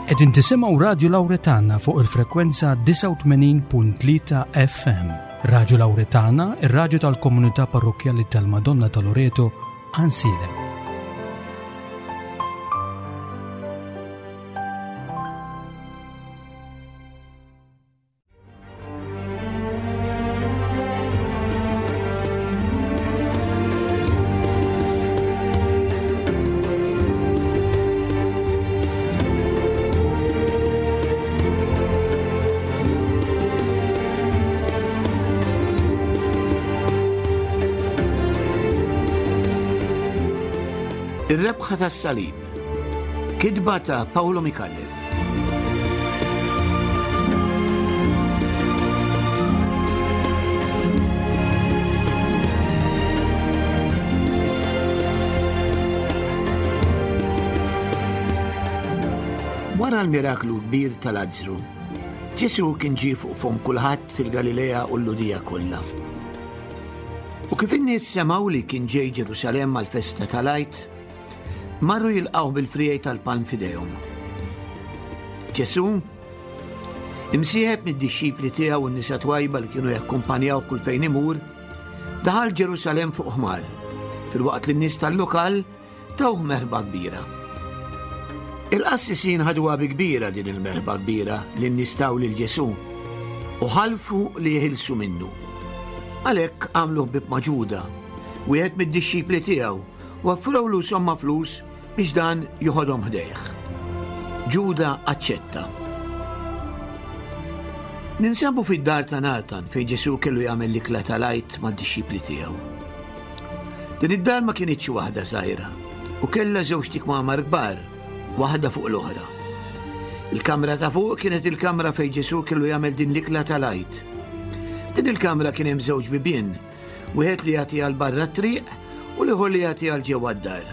Qegħdin tisimgħu Radju Lawretana fuq il-frekwenza 89.3 FM. Radju Lawretana, ir-radju tal-komunità parrokkjali tal-Madonna ta' Loreto, Ansilem. Ir-rebħa tas-salib. Kitba ta' Paolo Micallef. Wara l-miraklu kbir ta' Lazzru, Ġesù kien ġie fuq fomm kulħadd fil-Galilea u l-Lhudija kollha. U kif in-nies semgħu li kien ġej Ġerusalemm għall-festa tal-Għid, Marru jilqgħuh bil-friegħi tal-palm f'idejhom. Ġesù, imsieħeb mid-dixxipli tiegħu u n-nisa twajba li kienu jakkumpanjaw kull fejn imur, daħal Ġerusalemm fuq ħmar, filwaqt li n-nies tal-lokal tawh merħba kbira. Il-qassisin ħaduha bi kbira din il-merħba kbira li n-nies taw lil Ġesù u ħalfu li jeħilsu minnu. Għalhekk għamlu ħbieb ma' Ġuda, wieħed mid-dixxipli tiegħu, u offrewlu somma flus biex dan joħodhom ħdejh. Ġuda aċċetta. Ninsabu fid-dar ta' Natan fejn Ġesù kellu jagħmel l-ikla tal-Għid mad-dixxipli tiegħu. Din id-dar ma kinitx waħda żgħira u kellha żewġt ikmamar kbar, waħda fuq l-oħra. Il-kamra ta' fuq kienet il-kamra fejn Ġesù kellu jagħmel din l-ikla tal-Għid. Din il-kamra kien hemm żewġ bibien Wieħed li jagħti għal barra t-triq u l-ieħor li jagħti għal ġewwa d-dar.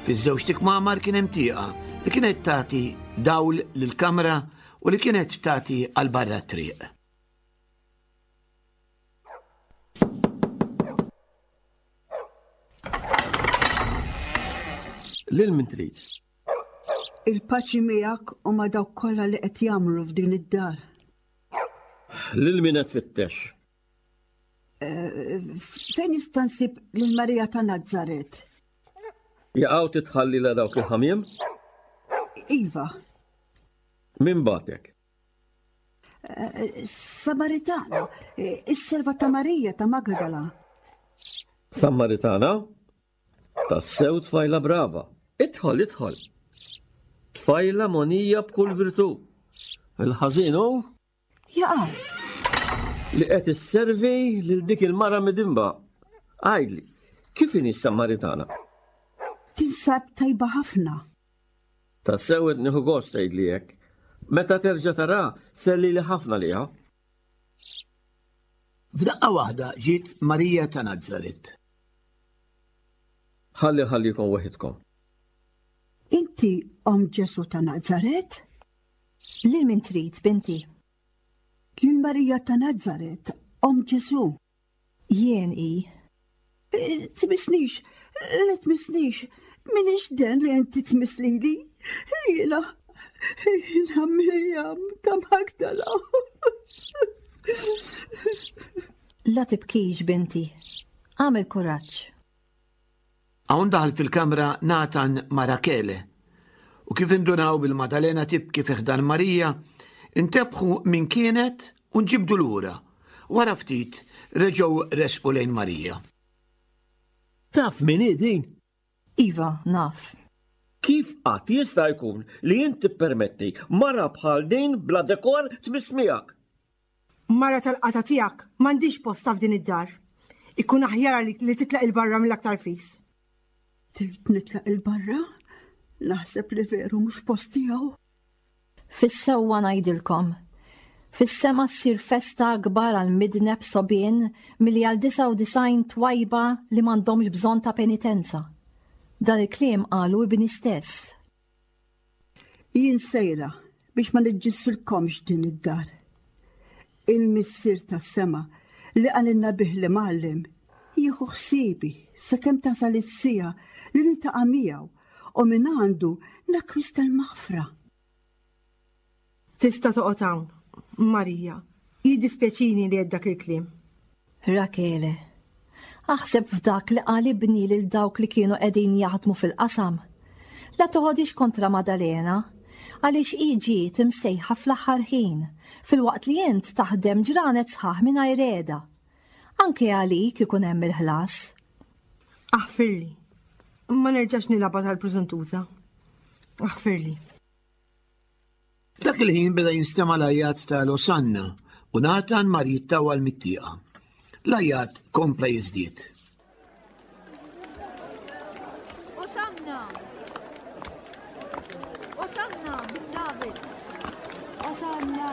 Fiż-żewġt ikmamar kien hemm tieqa li kienet tagħti dawl lill-kamra u li kienet tagħti għal barra t-triq. Lil min trid? Il-paċi miegħek u ma' dawk kollha li qed jagħmlu f'din id-dar. Lil min qed tfittex? Eh, fejn nista' nsib lil Marija ta' Nazzaret? Jaqgħu titħalli la dawk il-ħamiem? Iva. Min batek? Eh, Samaritana, eh, is-serva ta' Marija ta' Magdala. Samaritana? Tassew tfajla brava. Idħol, idħol. Tfajla monija b'kull virtù. Il-ħażin hu Jaqaw! Li qed isservi lil dik il-mara midinba. Għidli, kif inhi s-Samaritana? Tinsab tajba ħafna. Tassew qed nieħu gost tgħidli hekk. Meta terġa' tara, sellili ħafna liha. F'daqqa waħda ġiet Marija ta' Nazaret. Ħalli nħallikom waħidkom. Inti omm Ġesù ta' Nazaret? Lil min trid, binti? Lil Marija ta' Nazaret, omm Ġesù. Jien hi. Eh, tmissnix, le tmissnix, minix den li inti tmiss lili. Jiena, jiena Mirjam ta' Magdala. La tibkix, binti. Għamel kuraġġ. Hawn daħal fil-kamra Natan ma' Rakele, u kif indunaw bil-Madalena tibki fi ħdan Marija, intebħu min kienet u nġibdu lura. Wara ftit reġgħu resqu lejn Marija. Taf min hi din? Iva, naf. Kif qatt jista' jkun li int tippermetti mara bħal din bla dekor tmiss miegħek? Mara tal-qatgħa tiegħek m'għandhiex postha f'din id-dar. Ikun aħjar għalik li titlaq 'il barra mill-aktar fis. Tgħid nitlaq 'il barra? Naħseb li veru mhux post tiegħu. Fis-sewwa ngħidilkom, fis-sema ssir festa akbar għal midneb sogħbien milli għal 99 twajba li m'għandhomx bżonn ta' penitenza. Dan il-kliem qalu ibni stess. Jien sejra biex ma niġġissilkomx din id-dar. Il-Missier tas-sema li qalilna bih l-Imgħallem jieħu ħsiebi sakemm tasal is-siegħa li niltaqa' miegħu u mingħandu nakkwista l-maħfra. Tista' toqgħod hawn, Marija. Jiddispjaċini li għedt dak il-kliem. Rakele, aħseb f'dak li qal ibni lil dawk li kienu qegħdin jaħdmu fil-qasam. La toħodix kontra Madalena, għaliex hi ġiet imsejħa fl-aħħar ħin, filwaqt li int taħdem ġranet sħaħ mingħajr qiegħda. Anke għalik ikun hemm il-ħlas. Aħfirli. Ma nerġax nilgħabha tal-prużuntuża. Aħfirli. F'dak il-ħin beda jinstema' l-għajat ta' l-Osanna u Natan mar jittawwal mit-tieqa. L-għajat kompla jiżdied. Osanna! Osanna bin David! Osanna!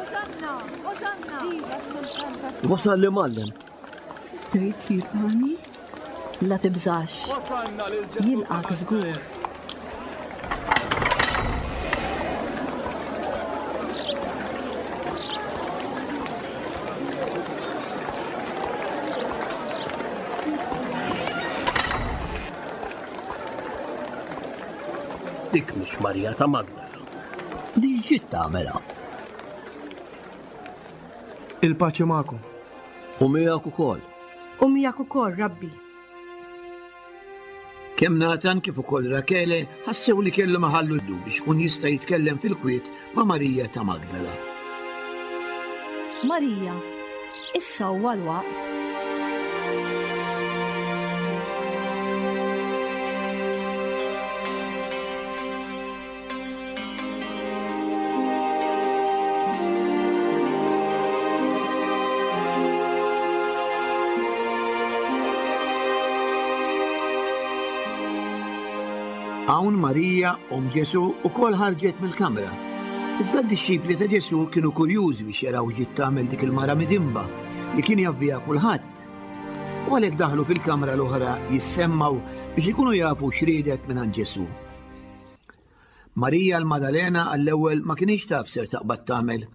Osanna! Osanna! Viva s-sultan ta' Wasal l-imgħallem. Trid jilqani? La tibżax. Jilqgħek żgur. Dik mhix Marija ta' Magdala. Di xi tagħmel hawn? Il-paċi magħkom. U miegħek ukoll. U miegħek ukoll, Rabbi. Kemm Natan kif ukoll Rakele ħassew li kellhom iħallu d biex ikun jista' jitkellem fil-kwiet ma' Marija ta' Magdala. Marija, issa huwa l-waqt. Hawn Marija, omm Ġesù, ukoll ħarġet mill-kamra. Iżda d-dixxipli ta' Ġesù kienu kurjużi biex jaraw x'ġiet tagħmel dik il-mara midinba li kien jaf biha kulħadd. U għalhekk daħlu fil-kamra l-oħra jissemmgħu biex ikunu jafu x'riedet mingħand Ġesù. Marija l-Madalena għall-ewwel ma kinitx taf ser taqbad tagħmel.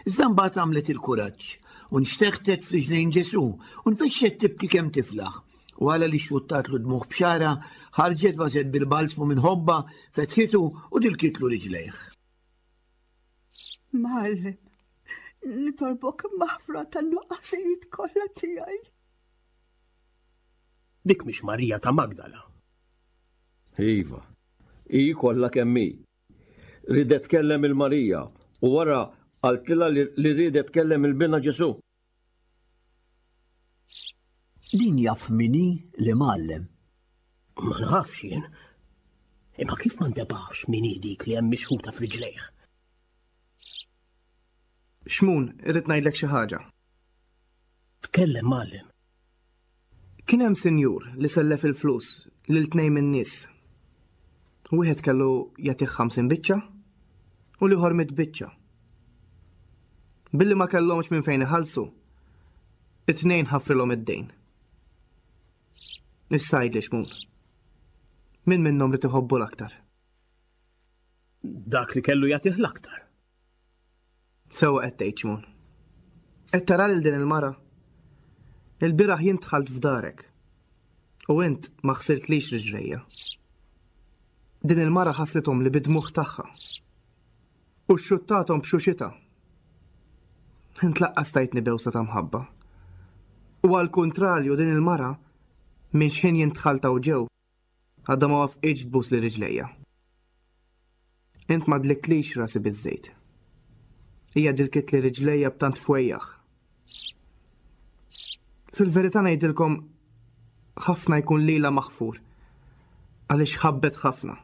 Iżda mbagħad għamlet il-kuraġġ u nxteħtet f'riġlejn Ġesù u nfexxet tibki kemm tiflaħ. Wara li xxuttatlu dmugħ b'xagħarha, ħarġet vażett bil-balzmu minn ħobbha, fetħitu u dilkitlu riġlejh. Mgħallem, nitolbok maħfra tan-nuqqasijiet kollha tiegħi. Dik mhix Marija ta' Magdala. Iva, hi kollha kemm hi. Riedet tkellem il Marija u wara qaltilha li riedet tkellem il Binha Ġesù. Din jaf min hi l-imgħallem. Ma nafx jien. Imma kif ma ntebaħx min hi dik li hemm mixħuta f'riġlejh? Xmun, irrid ngħidlek xi ħaġa. Tkellem, mgħallem. Kien hemm sinjur li sellef il-flus lil tnejn min-nies. Wieħed kellu jagħtih 50 biċċa u l-ieħor mitt biċċa. Billi ma kellhomx minn fejn iħallsu, it-tnejn ħafrilhom id-dejn. Issa għidli Xmun, min minnhom ried iħobbu l-aktar? Dak li kellu jagħtih l-aktar. Sewwa qed tgħid, Xmun. Qed tara lil din il-mara? Ilbieraħ jien dħalt f'darek u int ma ħsiltlix riġlejja. Din il-mara ħaslithomli bid-dmugħ tagħha u xxuttathom b'xuxitha. Int laqqas tajtni bewsa ta' mħabba. U għall-kuntrarju din il-mara minn xħin jien dħalt hawn ġew Għadha ma wafqitx tbusli riġlejja. Int ma dliktlix rasi biż-żejt. Hija dilkitli riġlejja b'tant fwejjaħ. Fil-verità ngħidilkom ħafna jkun lilha maħfur għaliex ħabbet ħafna.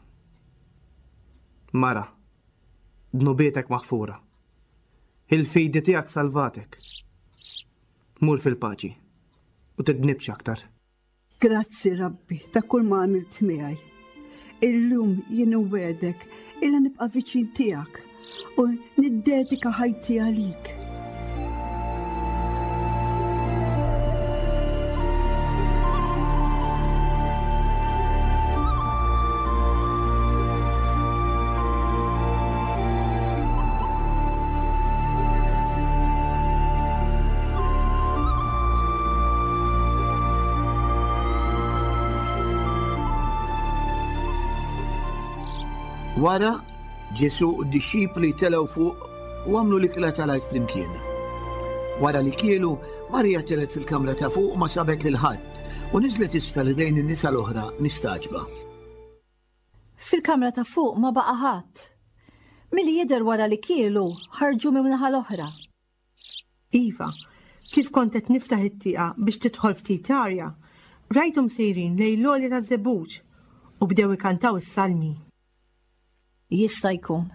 Mara, dnubietek maħfura. Il-fidi tiegħek salvatek. Mur fil-paċi u tidnibx aktar. Grazzi Rabbi ta' kull ma għamilt miegħi. Illum jien inwegħdek illi nibqa' viċin tiegħek u niddedika ħajti għalik. Wara, Ġesù u d-dixxipli telgħu fuq u għamlu l-ikla tal-Għid flimkien. Wara li kielu, Marija telgħet fil-kamra ta' fuq u ma sabet lil ħadd, u niżlet isfel ħdejn in-nisa l-oħra mistagħġba. Fil-kamra ta' fuq ma baqa' ħadd. Milli jidher wara li kielu, ħarġu min-naħa l-oħra. Iva, kif kont qed niftaħ it-tieqa biex tidħol ftit arja, rajthom sejrin lejn l-għolja taż-żebbuġ u bdew ikantaw is-salmi. Jista' jkun.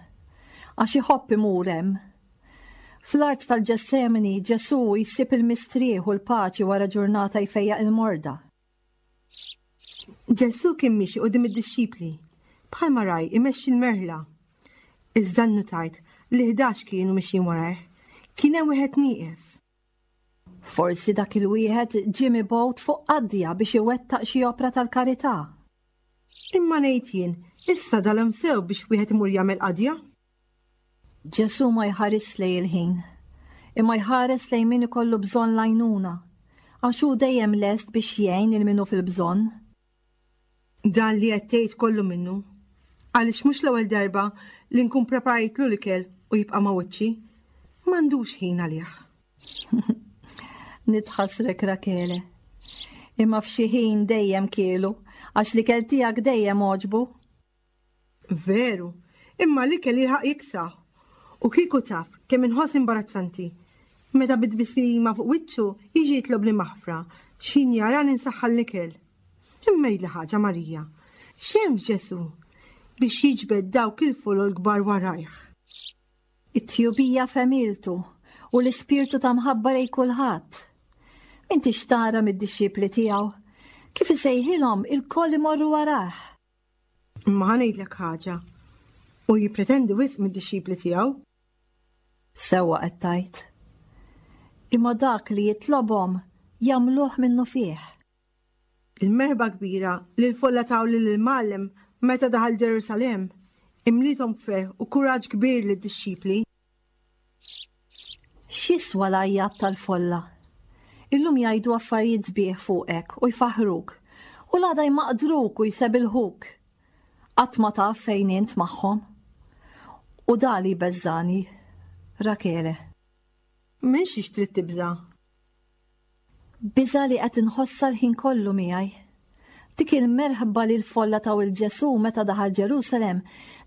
Għax iħobb imur hemm. Fl-art tal-Ġessemani, Ġesù jsib il-mistrieħ u l-paċi wara ġurnata jfejjaq il-morda. Ġesù kien miexi quddiem id-dixxipli, bħalma ragħaj imexxi l-merħla. Iżda nnutajt li 11 kienu mixjin warajh, kien hemm wieħed nieqes. Forsi dak il-wieħed ġie mibgħut fuq qadja biex iwettaq xi opra tal-karità. Imma ngħid jien, issa dalam sew biex wieħed imur jagħmel qadja? Ġesù ma jħarisx lejn il-ħin, imma jħares lejn min ikollu bżonn l-għajnuna, għax hu dejjem lest biex jgħin lil min hu fil-bżonn. Dan li qed tgħid kollu minnu, għaliex mhux l-ewwel darba li nkun preparajtlu l-ikel u jibqa' ma' wiċċi. M'għandux ħin għalih. Nitħassrek Rakele. Imma f'xi ħin dejjem kielu, għax l-ikel tiegħek dejjem għoġbu. Veru, imma l-ikel jilħaq jiksaħ. U kieku taf kemm inħoss imbarazzanti meta bi tbismima fuq wiċċu jiġi jitlobni maħfra x'ħin jarani nsaħħan l-ikel. Imma għidli ħaġa Marija, x'hemm f'Ġesù biex jiġbed dawk il-folol kbar warajh? It-tjubija f'għemiltu u l-ispirtu ta' mħabba lejn kulħadd. M'intix tara mid-dixxipli tiegħu kif isejħilhom ilkoll imorru warajh. Imma ħa ngħidlek ħaġa, hu jippretendi wisq mid-dixxipli tiegħu. Sewwa qed tgħid. Imma dak li jitlobhom jagħmluh minnufih. Il-merħba kbira li l-folla taw lill-Imgħallem meta daħal Ġerusalemm imliethom b'ferħ u kuraġġ kbir lid-dixxipli. X'jiswa l-għajjat tal-folla? Illum jgħidu affarijiet sbieħ fuqek u jfaħħruk, u l-għada jmaqdruk u jsebilħuk. Qatt ma taf fejn int magħhom. U da li jbeżżagħni, Rakele. Minn xiex trid tibża'? Biża' li qed inħossha l-ħin kollu miegħi. Dik il-merħba li l-folla taw 'il Ġesù meta daħal Ġerusalemm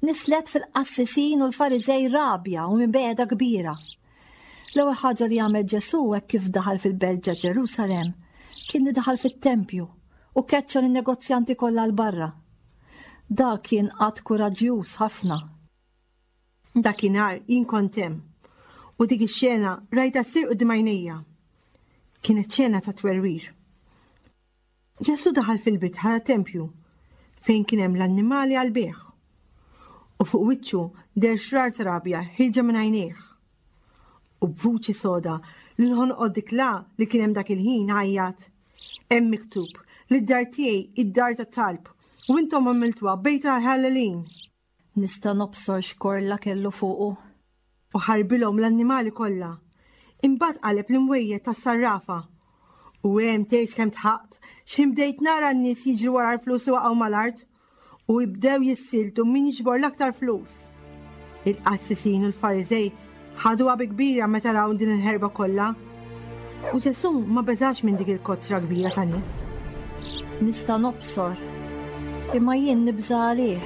nislet fil-qassisin u l-Fariżej rabja u mibegħda kbira. L-ewwel ħaġa li għamel Ġesù hekk kif daħal fil-belt ġa Ġerusalemm kien li daħal fit-tempju u keċċa lin-negozjanti kollha 'l barra. Dak kien att kuraġġjuż ħafna. Dakinhar jien kont hemm u dik ix-xena rajtha ssir quddiem għajnejja. Kienet xena ta' twerwir. Ġesù daħal fil-bitħa tat-tempju fejn kien hemm l-annimali għall-bejgħ. U fuq wiċċu deher xrar ta' rabja ħierġa minn għajnejh. U b'vuċi soda li nħonqot dik la li kien hemm dak il-ħin għajjat, Hemm miktub li d-dar tiegħi hi d-dar tat-talb u intom għamiltuha bejt tal-ħallelin. Nista' nobsor x'korla kellu fuqu. U ħarbilhom l-annimali kollha. Imbagħad qaleb l-imwejjed tas-sarrafa. U hemm tgħidx kemm dħaqt x'ħin bdejt nara n-nies jiġru wara l-flus li waqgħu mal-art u bdew jissieltu min jiġbor l-aktar flus. Il-qassisin u l-Fariżej ħaduha bi kbira meta raw din il-ħerba kollha. U Ġesù ma beżax minn dik il-kotra kbira ta' nies. Nista' nobsor, imma jien nibża' għalih.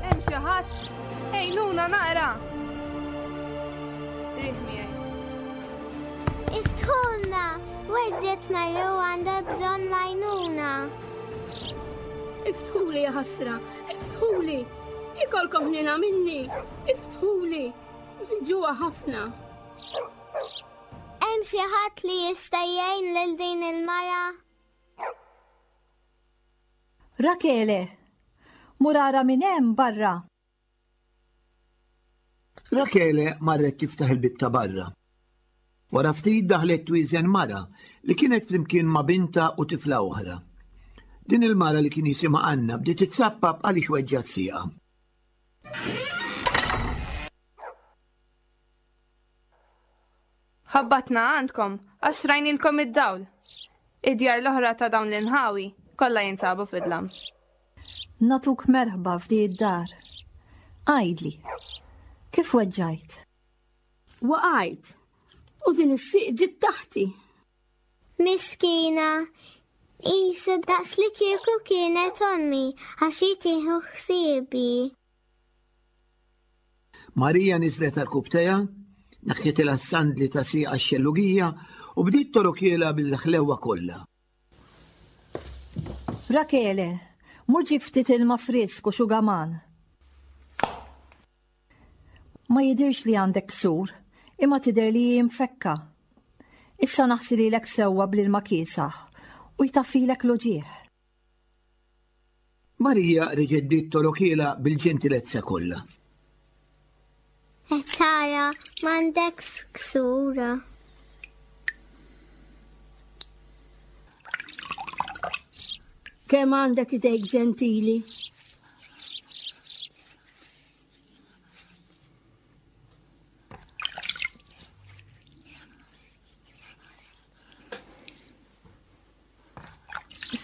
Hemm xi ħadd? Ejnuna naqra! Strieħ miegħi. Iftħulna! Weġġet Marru għandha bżonn l-għajnuna. Iftħuli ja ħasra, iftħuli! Ikolkom ħnina minni, iftħuli! Miġuha ħafna. Hemm xi ħadd li jista' jgħin lil din il-mara? Rakele, mur ara min hemm barra. Rakele marret tiftaħ il-bieb ta' barra. Wara ftit daħlet twieżen mara li kienet flimkien ma' bintha u tifla oħra. Din il-mara li kien jisimha Anna bdiet titsappap għaliex weġġgħet sieqha. Ħabbatna għandkom għax rajnilkom id-dawl. Id-djar l-oħra ta' dawn l-inħawi kollha jinsabu fid-dlam. Nagħtuk merħba f'di d-dar. Għidli, kif weġġajt? Waqajt u din is-sieq ġiet taħti. Miskina, qisha daqs li kieku kienet ommi għax hi tieħu ħsiebi. Marija niżlet għarkupptejha, neħħitilha s-sandli ta' sieqha x-xellugija u bdiet torokielha bil-ħlewwa kollha. Rakele, mur ġib ftit ilma frisk u xugaman. Ma jidhirx li għandek ksur, imma tidher li hi mfekka. Issa naħsililek sewwa bl-ilma kiesaħ u jtaffilek l-uġigħ. Marija reġgħet bdiet torokielha bil-ġentilezza kollha. Qed tara m'għandekx ksur. Kemm għandek idejk ġentili.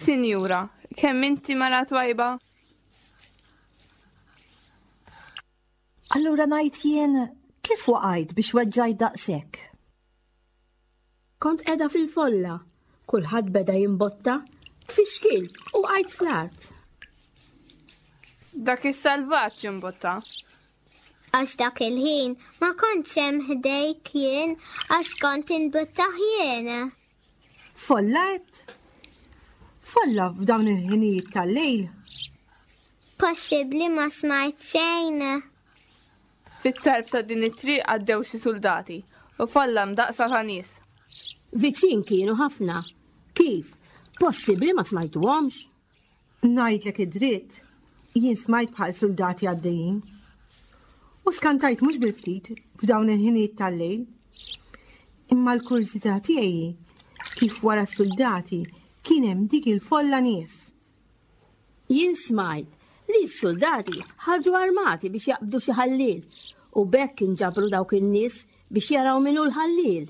Sinjura, kemm inti mara twajba? Allura ngħid jien kif waqajt biex weġġajt daqshekk? Kont qiegħda fil-folla, kulħadd beda jimbotta, tfixkil u wqajt fl-art. Dak is-salvaġġ imbotta. Għax dak il-ħin ma kontx hemm ħdejk jien għax kont inbuttah jien. Folla għedt? Folla f'dawn il-ħinijiet tal-lejl? Possibbli ma smajt xejn. Fit-tarf ta' din it-triq għaddew xi suldati u folla mdaqqsa ta' nies. Viċin kienu ħafna. Kif? Possibbli ma smajtuhomx? Ngħidlek id-dritt, jien smajt bħal suldati għaddejjin. U skantajt mhux bil-ftit f'dawn il-ħinijiet tal-lejl. Imma l-kurżità tiegħi kif wara s-suldati kien hemm dik il-folla nies. Jien smajt li s-suldati ħarġu armati biex jaqbdu xi ħalliel u b'hekk inġabru dawk in-nies biex jaraw min hu l-ħalliel.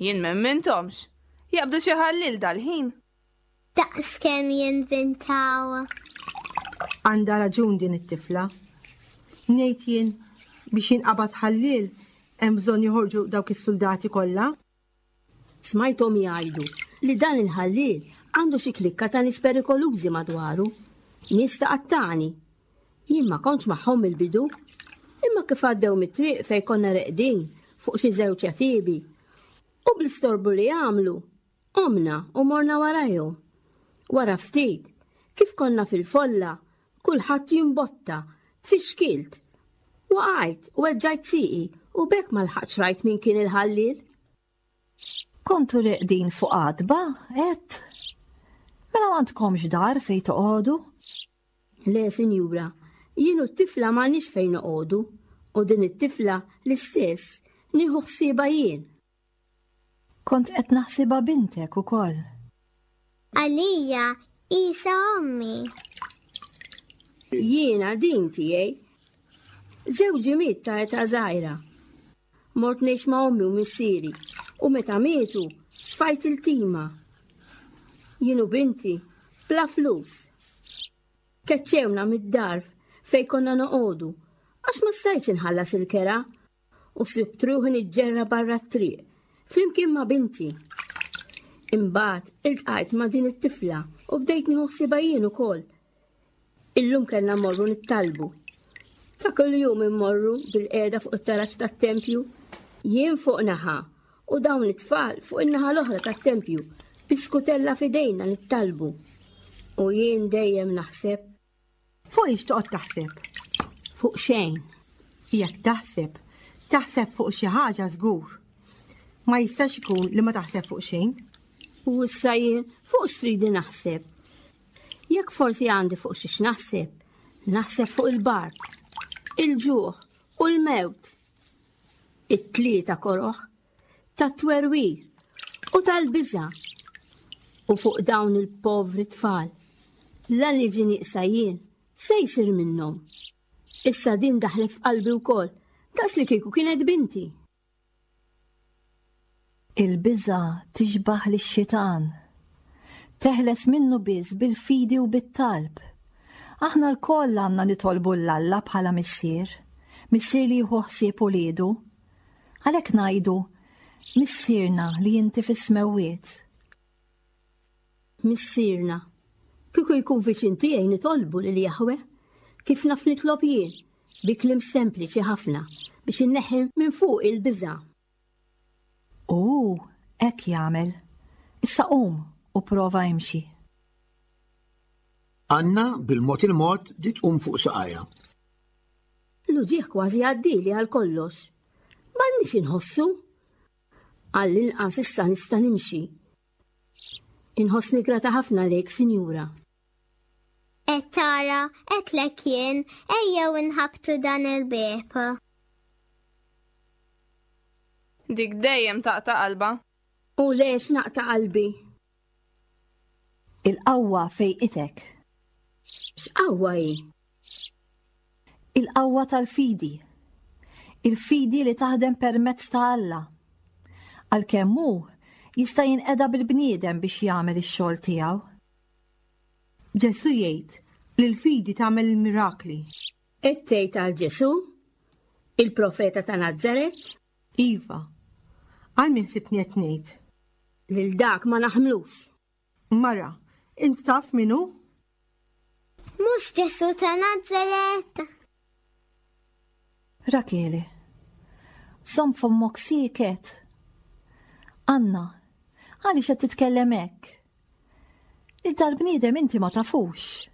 Jien m'emminthomx. Jaqbdu xi ħalliel dal-ħin. Daqs kemm jinvintaw. Għandha raġun din it-tifla. Ngħid jien biex jinqabad ħalliel hemm bżonn joħorġu dawk is-suldati kollha. Smajthom jgħidu li dan il-ħalliel għandu xi klikka ta' nies perikolużi madwaru, nies ta' qattani. Jien ma kontx magħhom mill-bidu, imma kif għaddew mit-triq fejn konna reqdin fuq xi żewġ għetiebi, u bl-istorbu li għamlu, qomna u morna warajhom. Wara ftit, kif konna fil-folla, Kulħadd jimbotta, tfixkilt. Waqajt u weġġajt sieqi u b'hekk ma lħaqtx rajt min kien il-ħalliel. Kontu reqdin fuq għatba, għedt? Mela m'għandkomx dar fejn toqogħdu? Le, sinjura, jien u t-tifla m'għandniex fejn noqogħdu u din it-tifla l-istess, nieħu ħsiebha jien. Kont qed naħsibha bintek ukoll. Għalija qisha ommi. Jiena din tiegħi. Żewġi miet ta' età żgħira. Mort ngħix ma' ommi u missieri u meta mietu sfajt iltima. Jien u binti bla flus. Keċċewna mid-dar fejn konna noqogħdu għax ma stajtx inħallas il-kera u sibt ruħi niġġerra barra t-triq flimkien ma' binti. Imbagħad iltqajt ma' din it-tifla u bdejt nieħu ħsiebha jien ukoll. Illum kellna mmorru nittalbu. Ta' kuljum immorru bil-qiegħda fuq it-taraġ tat-tempju, jien fuq naħa u dawn it-tfal fuq in-naħa l-oħra tat-tempju bi skutella f'idejna nittalbu. U jien dejjem naħseb Fuq ix toqgħod taħseb? Fuq xejn. Jekk taħseb, taħseb fuq xi ħaġa żgur. Ma jistax ikun li ma taħseb fuq xejn. U issa jien fuq x'tridi naħseb? Jekk forsi għandi fuq xiex naħseb, naħseb fuq il-bard, il-ġuħ u l-mewt. It-tlieta koroh. Tat-twerwir u tal-biża'. U fuq dawn il-povri tfal, la niġi nieqsa jien, se jsir minnhom? Issa din daħlet f'qalbi wkoll, daqs li kieku kienet binti. Il-biża' tixbah lix-xitan. Teħles minnu biss bil-fidi u bit-talb. Aħna lkoll għandna nitolbu 'l Alla bħala Missier, Missier li jieħu ħsieb uliedu. Għalhekk ngħidu, Missierna li inti fis-smewwiet. Missierna, kieku jkun viċin tiegħi nitolbu lil Jahwe, kif naf nitlob jien, bi kliem sempliċi ħafna biex inneħħi minn fuqi l-biża'. U hu hekk jagħmel. Issa qum u prova imxi. Anna, bil-mod il-mod, bdiet tqum fuq saqajha. L-uġigħ kważi għaddieli għal kollox. M'għandniex inħossu. Għall-inqas issa nista' nimxi. Inħossni grata ħafna lejk, sinjura. Qed tara, għedtlek jien, ejjew inħabbtu dan il-bieb. Dik dejjem taqta' qalbha. U lex naqta' qalbi? Il-qawwa fejqitek. X'qawwa hi? Il-qawwa tal-fidi. Il-fidi li taħdem permezz ta' Alla. Għalkemm hu jista' jinqeda bil-bniedem biex jagħmel ix-xogħol tiegħu. Ġesù jgħid li l-fidi tagħmel il-mirakli. Qed tgħid għal Ġesù? Il-profeta ta' Nazaret? Iva. Għal min ħsibtni qed ngħid? Lil dak ma naħmlux. Mara, int taf min hu? Mhux Ġesù ta' Nazaret? Rakele, żomm fommok sieket. Anna, għaliex qed titkellem hekk? Lil dal-bniedem inti ma tafux.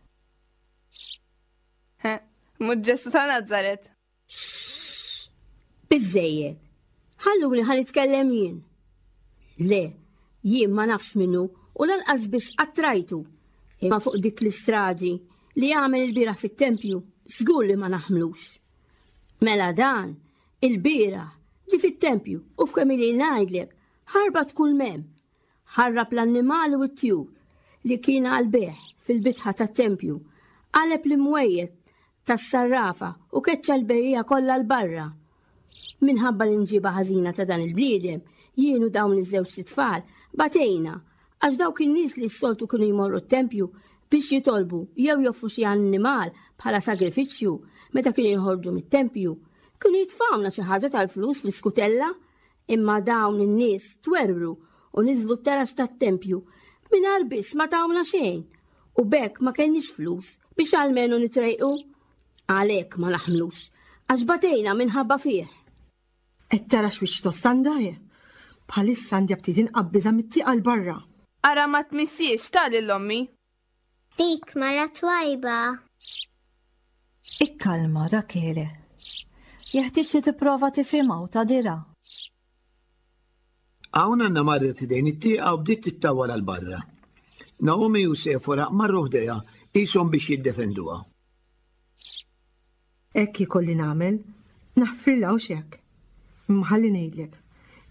Mhux Ġesù ta' Nazaret. Xxx! Biżżejjed! Ħalluni ħa nitkellem jien. Le, jien ma nafx minnu u lanqas biss qatt rajtu. Imma fuq dik l-istraġi li għamel il-bieraħ fit-tempju, żgur li ma naħmlux. Mela dan, il-bieraħ, ġie fit-tempju u f'kemm ili ngħidlek, ħarbat kull m'hemm. Ħarrab l-annimali u t-tjur li kien għall-bejgħ fil-bitħa tat-tempju, qaleb l-imwejjed tas-sarrafa u keċċa l-bejjiegħa kollha 'l barra. Minħabba l-imġiba ħażina ta' dan il-bniedem, jien u dawn iż-żewġt itfal batejna għax dawk in-nies li s-soltu kienu jmorru t-tempju biex jitolbu jew joffru xi annimal bħala sagrifiċċju meta kienu joħorġu mit-tempju, kienu jitfgħulna xi ħaġa tal-flus fl-iskutella Imma dawn in-nies twerwru u niżlu t-taraġ tat-tempju mingħajr biss ma tawna xejn, u b'hekk ma kellniex flus biex almenu nitrejqu. Għalhekk ma naħmlux, għax batejna minħabba fih. Qed tara x'wiċċ tost għandha hi? Bħalissa għandi aptit inqabbiżha mit-tieqa 'l barra. Ara ma tmissiex ta' lil ommi. Dik mara twajba. Ikkalma, Rakele. Jeħtieġ li tipprova tifhimha u tagħdirha. Hawn Anna marret ħdejn it-tieqa u bdiet tittawwal għal barra. Naomi u Sefora marru ħdejha qishom biex jiddefenduha. Hekk ikolli nagħmel, naħfirlha hux hekk? Imma ħalli ngħidlek,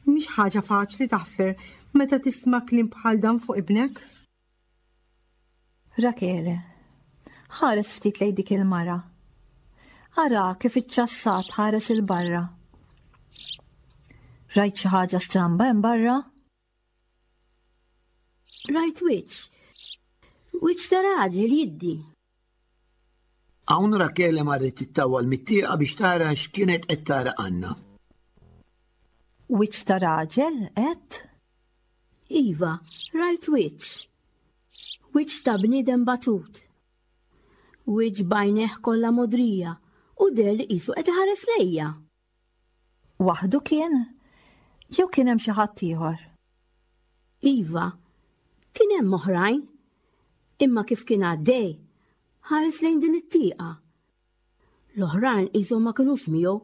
mhix ħaġa faċli taħfer meta tisma' kliem bħal dan fuq ibnek. Rakele, ħares ftit lejn dik il-mara. Ara kif iċċassat ħares 'il barra. Rajt xi ħaġa stramba hemm barra? Rajt wiċċ. Wiċċ ta' raġel jiddi. Hawn Rakele marret tittawwal mit-tieqa biex tara x'kienet qed tara Anna. Wiċċ ta' raġel, għedt? Iva, rajt wiċċ. Wiċċ ta' bniedem batut. Wiċċ b'għajnejh kollha mogħdrija u deher li qisu qed iħares lejja. Waħdu kien? Jew kien hemm xi ħadd ieħor? Iva, kien hemm oħrajn. Imma kif kien għaddej, ħares lejn din it-tieqa. L-oħrajn qishom ma kinux miegħu,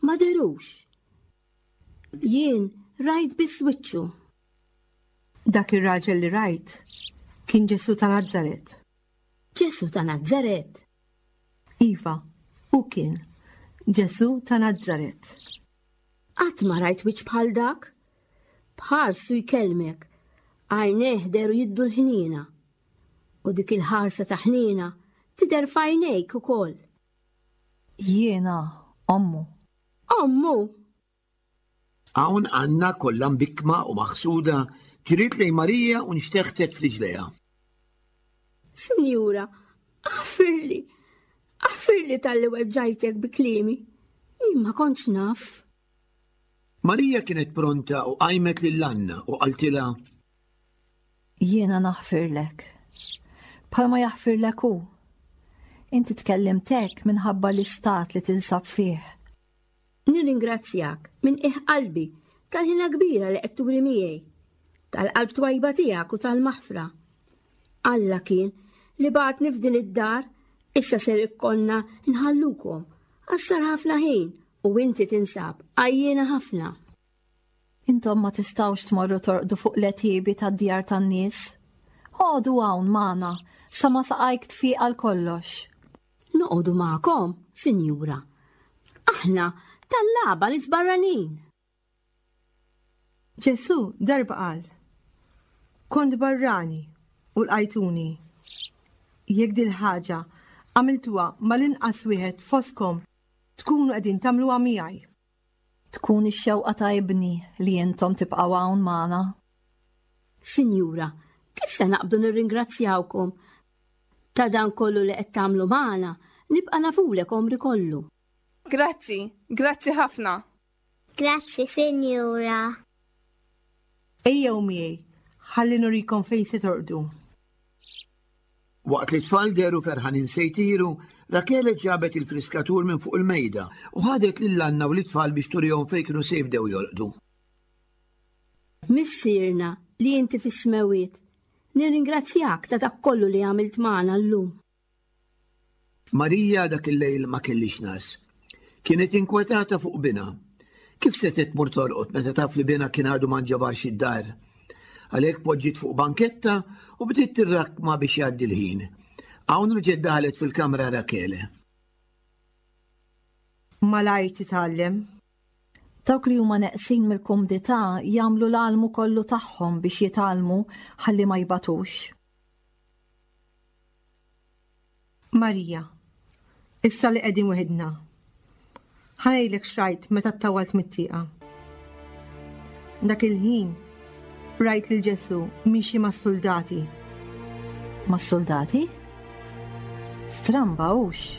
ma dherux. Jien rajt biss wiċċu. Dak ir-raġel li rajt kien Ġesù ta' Nazaret. Ġesù ta' Nazaret? Iva, hu kien Ġesù ta' Nazaret. Qatt ma rajt wiċċ bħal dak. B'ħarstu jkellmek, għajnejh dehru jiddu l-ħniena. U dik il-ħarsa ta' ħniena tidher f'għajnejk ukoll. Jiena ommu. Ommu? Hawn Anna kollha mbikkma u maħsuda ġriet lejn Marija u nxteħtet f'riġlejha. Sinjura, aħfirli, aħfirli talli weġġajtek bi kliemi. Jien ma kontx naf. Marija kienet pronta u qajmet lil Anna u qaltilha. Jiena naħfirlek. Bħalma jaħfirlek hu. Inti tkellimt hekk minħabba l-istat li tinsab fih. Nirringrazzjak minn qiegħ qalbi tal-ħina kbira li qed turi miegħi, tal-qalb twajba tiegħek u tal-maħfra. Alla kien li bagħatni f'din id-dar, issa ser ikollna nħallukom għax sar ħafna ħin u inti tinsab għajjiena ħafna. Intom ma tistgħux tmorru torqdu fuq l-għetiebi tad-djar tan-nies. Oqogħdu hawn magħna sa ma saqajk tfiq għal kollox. Noqogħdu magħkom, sinjura. Aħna tallaba nies barranin. Ġesù darba qal, Kont barrani u lqajtuni. Jekk dil-ħaġa għamiltuha mal-inqas wieħed fostkom tkunu qegħdin tagħmluha miegħi. Tkun ix-xewqa ta' ibni li intom tibqgħu hawn magħna. Sinjura, kif se naqbdu nirringrazzjawkom Ta' dan kollu li qed tagħmlu magħna, nibqa' nafulek għomri kollu. Grazzi, grazzi ħafna. Grazzi, Sinjura. Ejjew miegħi, ħalli nurikom fejn se torqdu. Waqt li t-tfal dehru ferħanin se jtiru, Rakele ġabet il-friskatur minn fuq il-mejda u ħadet lil Anna u lit-tfal biex turihom fejn kienu se jibdew jorqdu. Missierna li inti fis-smewwiet, Nirringrazzjak ta' dak kollu li għamilt magħna llum. Marija dak il-lejl ma kellhiex ngħas. Kienet inkwetata fuq binha. Kif setgħet tmur torqod meta taf li binha kien għadu ma nġabarx id-dar? Għalhekk poġġiet fuq banketta u bdiet tirrakkma biex jgħaddi l-ħin. Hawn reġgħet daħlet fil-kamra Rakele. Malajr titgħallem. Dawk li huma neqsin mill-kumdità jagħmlu l-almu kollu tagħhom biex jitgħallmu ħalli ma jbatux. Marija, issa li qegħdin weħidna, ħa ngħidlek x'rajt meta ttawwalt mit-tieqa. Dak il-ħin rajt lil Ġesù miexi mas-suldati. Mas-suldati? Stramba hux?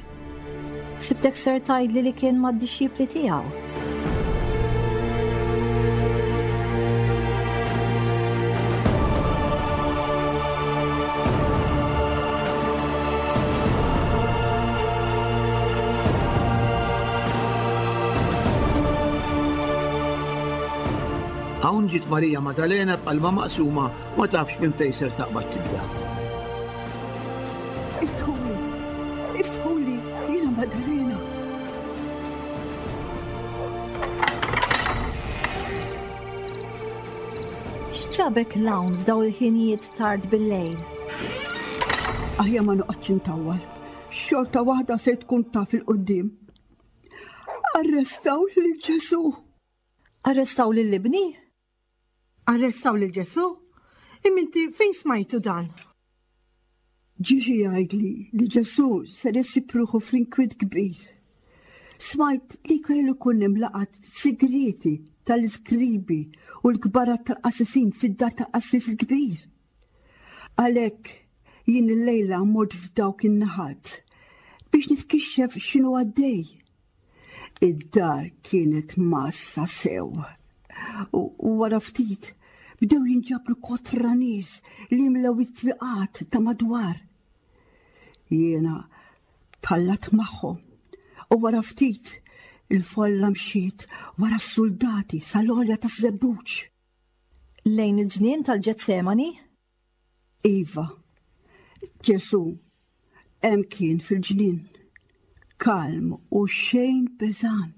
Sibtek ser tgħidli li kien mad-dixxipli tiegħu. Hawn ġiet Marija Madalena b'qalbha maqsuma ma tafx minn fejn ser taqbad tibda. Iftħuli, iftħuli, jiena Madalena. X'ġabek 'l hawn f'daw il-ħinijiet tard bil-lejl? Aħjar ma noqgħodx intawwal. Xorta waħda se tkun taf il-qudiem. Arrestaw lil Ġesù. Arrestaw lil ibni? Arrestaw lil Ġesù? Imma inti fejn smajtu dan? Ġie xi jgħidli li Ġesù ser isib ruħu fl-inkwiet kbir. Smajt li kellu jkun hemm laqgħat sigrieti tal-iskribi u l-kbarat tal-qassisin fid-dar tal-qassis il-kbir. Għalhekk jien illejla mort f'dawk in-naħat biex nitkixxef x'inhu għaddej. Id-dar kienet massa sew. U wara ftit bdew jinġabru kotra nies li jimlew it-triqat ta' madwar. Jiena tallat magħhom u wara ftit il-folla mxiet wara s-suldati sal-għolja taż-żebbuġ. Lejn il-ġnien tal-Ġetsemani? Iva, Ġesù hemm kien fil-ġnien, kalm u xejn beżan,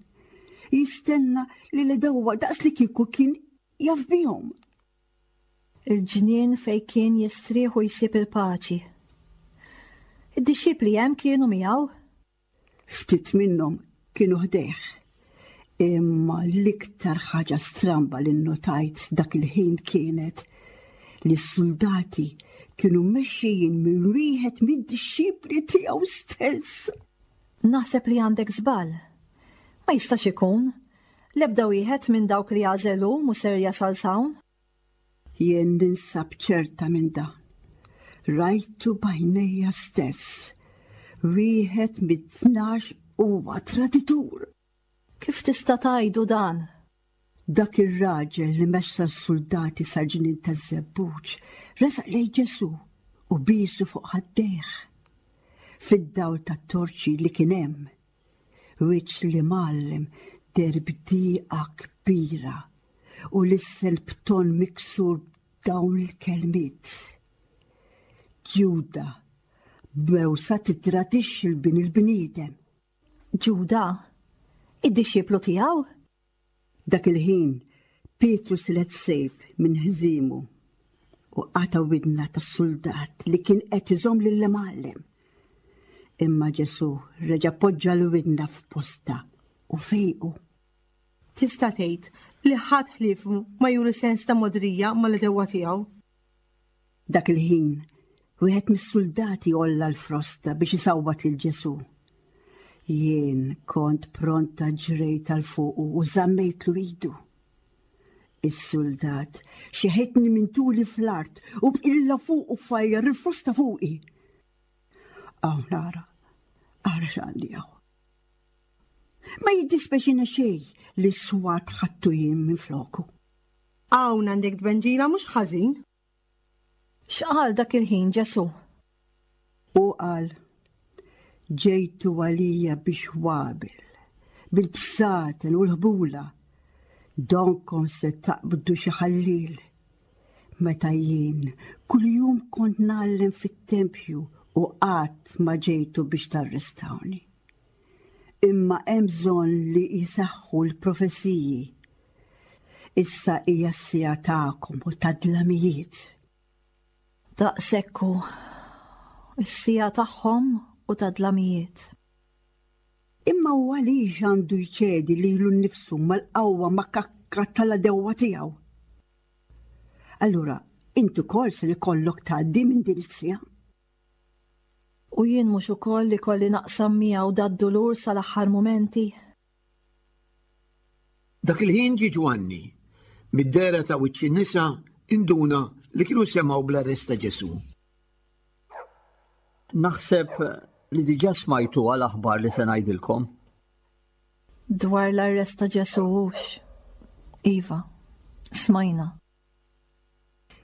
jistenna li l-edewwa daqs li kieku kien jaf bihom. Il-ġnien fejn kien jistrieħ u jsib il-paċi. Id-dixxipli hemm kienu miegħu? Ftit minnhom kienu ħdejh. Imma l-iktar ħaġa stramba li nnotajt dak il-ħin kienet li s-suldati kienu mmexxijin minn wieħed mid-dixxipli tiegħu stess. Naħseb li għandek żball. Ma jistax ikun. L-ebda wieħed minn dawk li għażel hu mhu ser jasal s'hawn. Jien ninsab ċerta minn dan. Rajtu b'għajnejja stess. Wieħed mit-tnax huwa traditur. Kif tista' tgħidu dan? Dak ir-raġel li mexxa s-suldati sal-ġnien taż-żebbuġ resaq lejn Ġesù u biesu fuq ħaddejh. Fid-dawl tat-torċi li kien hemm, wiċċ l-Imgħallem deher b'dieqa kbira u lissen b'ton miksur b'dawn il-kelmiet, Ġuda, b'mewsa tittradixxi 'l Bin il-bniedem. Ġuda, id-dixxiplu tiegħu? Dak il-ħin, Pietru silet sejf minn ħżiemu u qata' widna tas-suldat li kien qed iżomm lill-imgħallem. Imma Ġesù reġa' poġġa l-widna f'postha u fejqu. Tista' tgħid li ħadd ħliefu ma juri sens ta' mogħdrija mal-għedewwa tiegħu. Dak il-ħin, wieħed mis-suldati għolla l-frosta biex isawwat lil Ġesù. Jien kont pronta ġrejt għal fuqu u żammejtlu idu. Is-suldat xeħetni minn tuli fl-art u b'qilla fuqu fajjar il-frosta fuqi. Hawn ara, ara x'għandi hawn. Ma jiddispeċina xejn li s-swat ħadtu jien minn floku. Hawn għandek tbenġila mhux ħażin. X'qal dak il-ħin Ġesù? Hu qal, Ġejtu għalija biex wabel, bil-bsaten u l-ħbula, donkom se taqbdu xi ħalliel. Meta jien kuljum kont ngħallem fit-tempju u qatt ma ġejtu biex tarrestawni. Imma hemm bżonn li jseħħu l-profeziji. Issa hija s-siegħa tagħkom u tad-dlamijiet. Daqshekk hu. Is-siegħa tagħhom u tad-dlamijiet. Imma hu għaliex għandu jċedi lilu nnifsu mal-qawwa makakka tal-għedewwa tiegħu? Allura, int ukoll ser ikollok tgħaddi minn din is-siegħa. U jien mhux ukoll ikolli naqsam miegħu dad-dulur sal-aħħar mumenti? Dak il-ħin ġie Ġwanni. Mid-dehra ta' wiċċ in-nisa induna li kienu semgħu bl-arrest ta' Ġesù. Naħseb li diġà smajtuha l-aħbar li se ngħidilkom. Dwar l-arrest ta' Ġesù hux? Iva, smajna.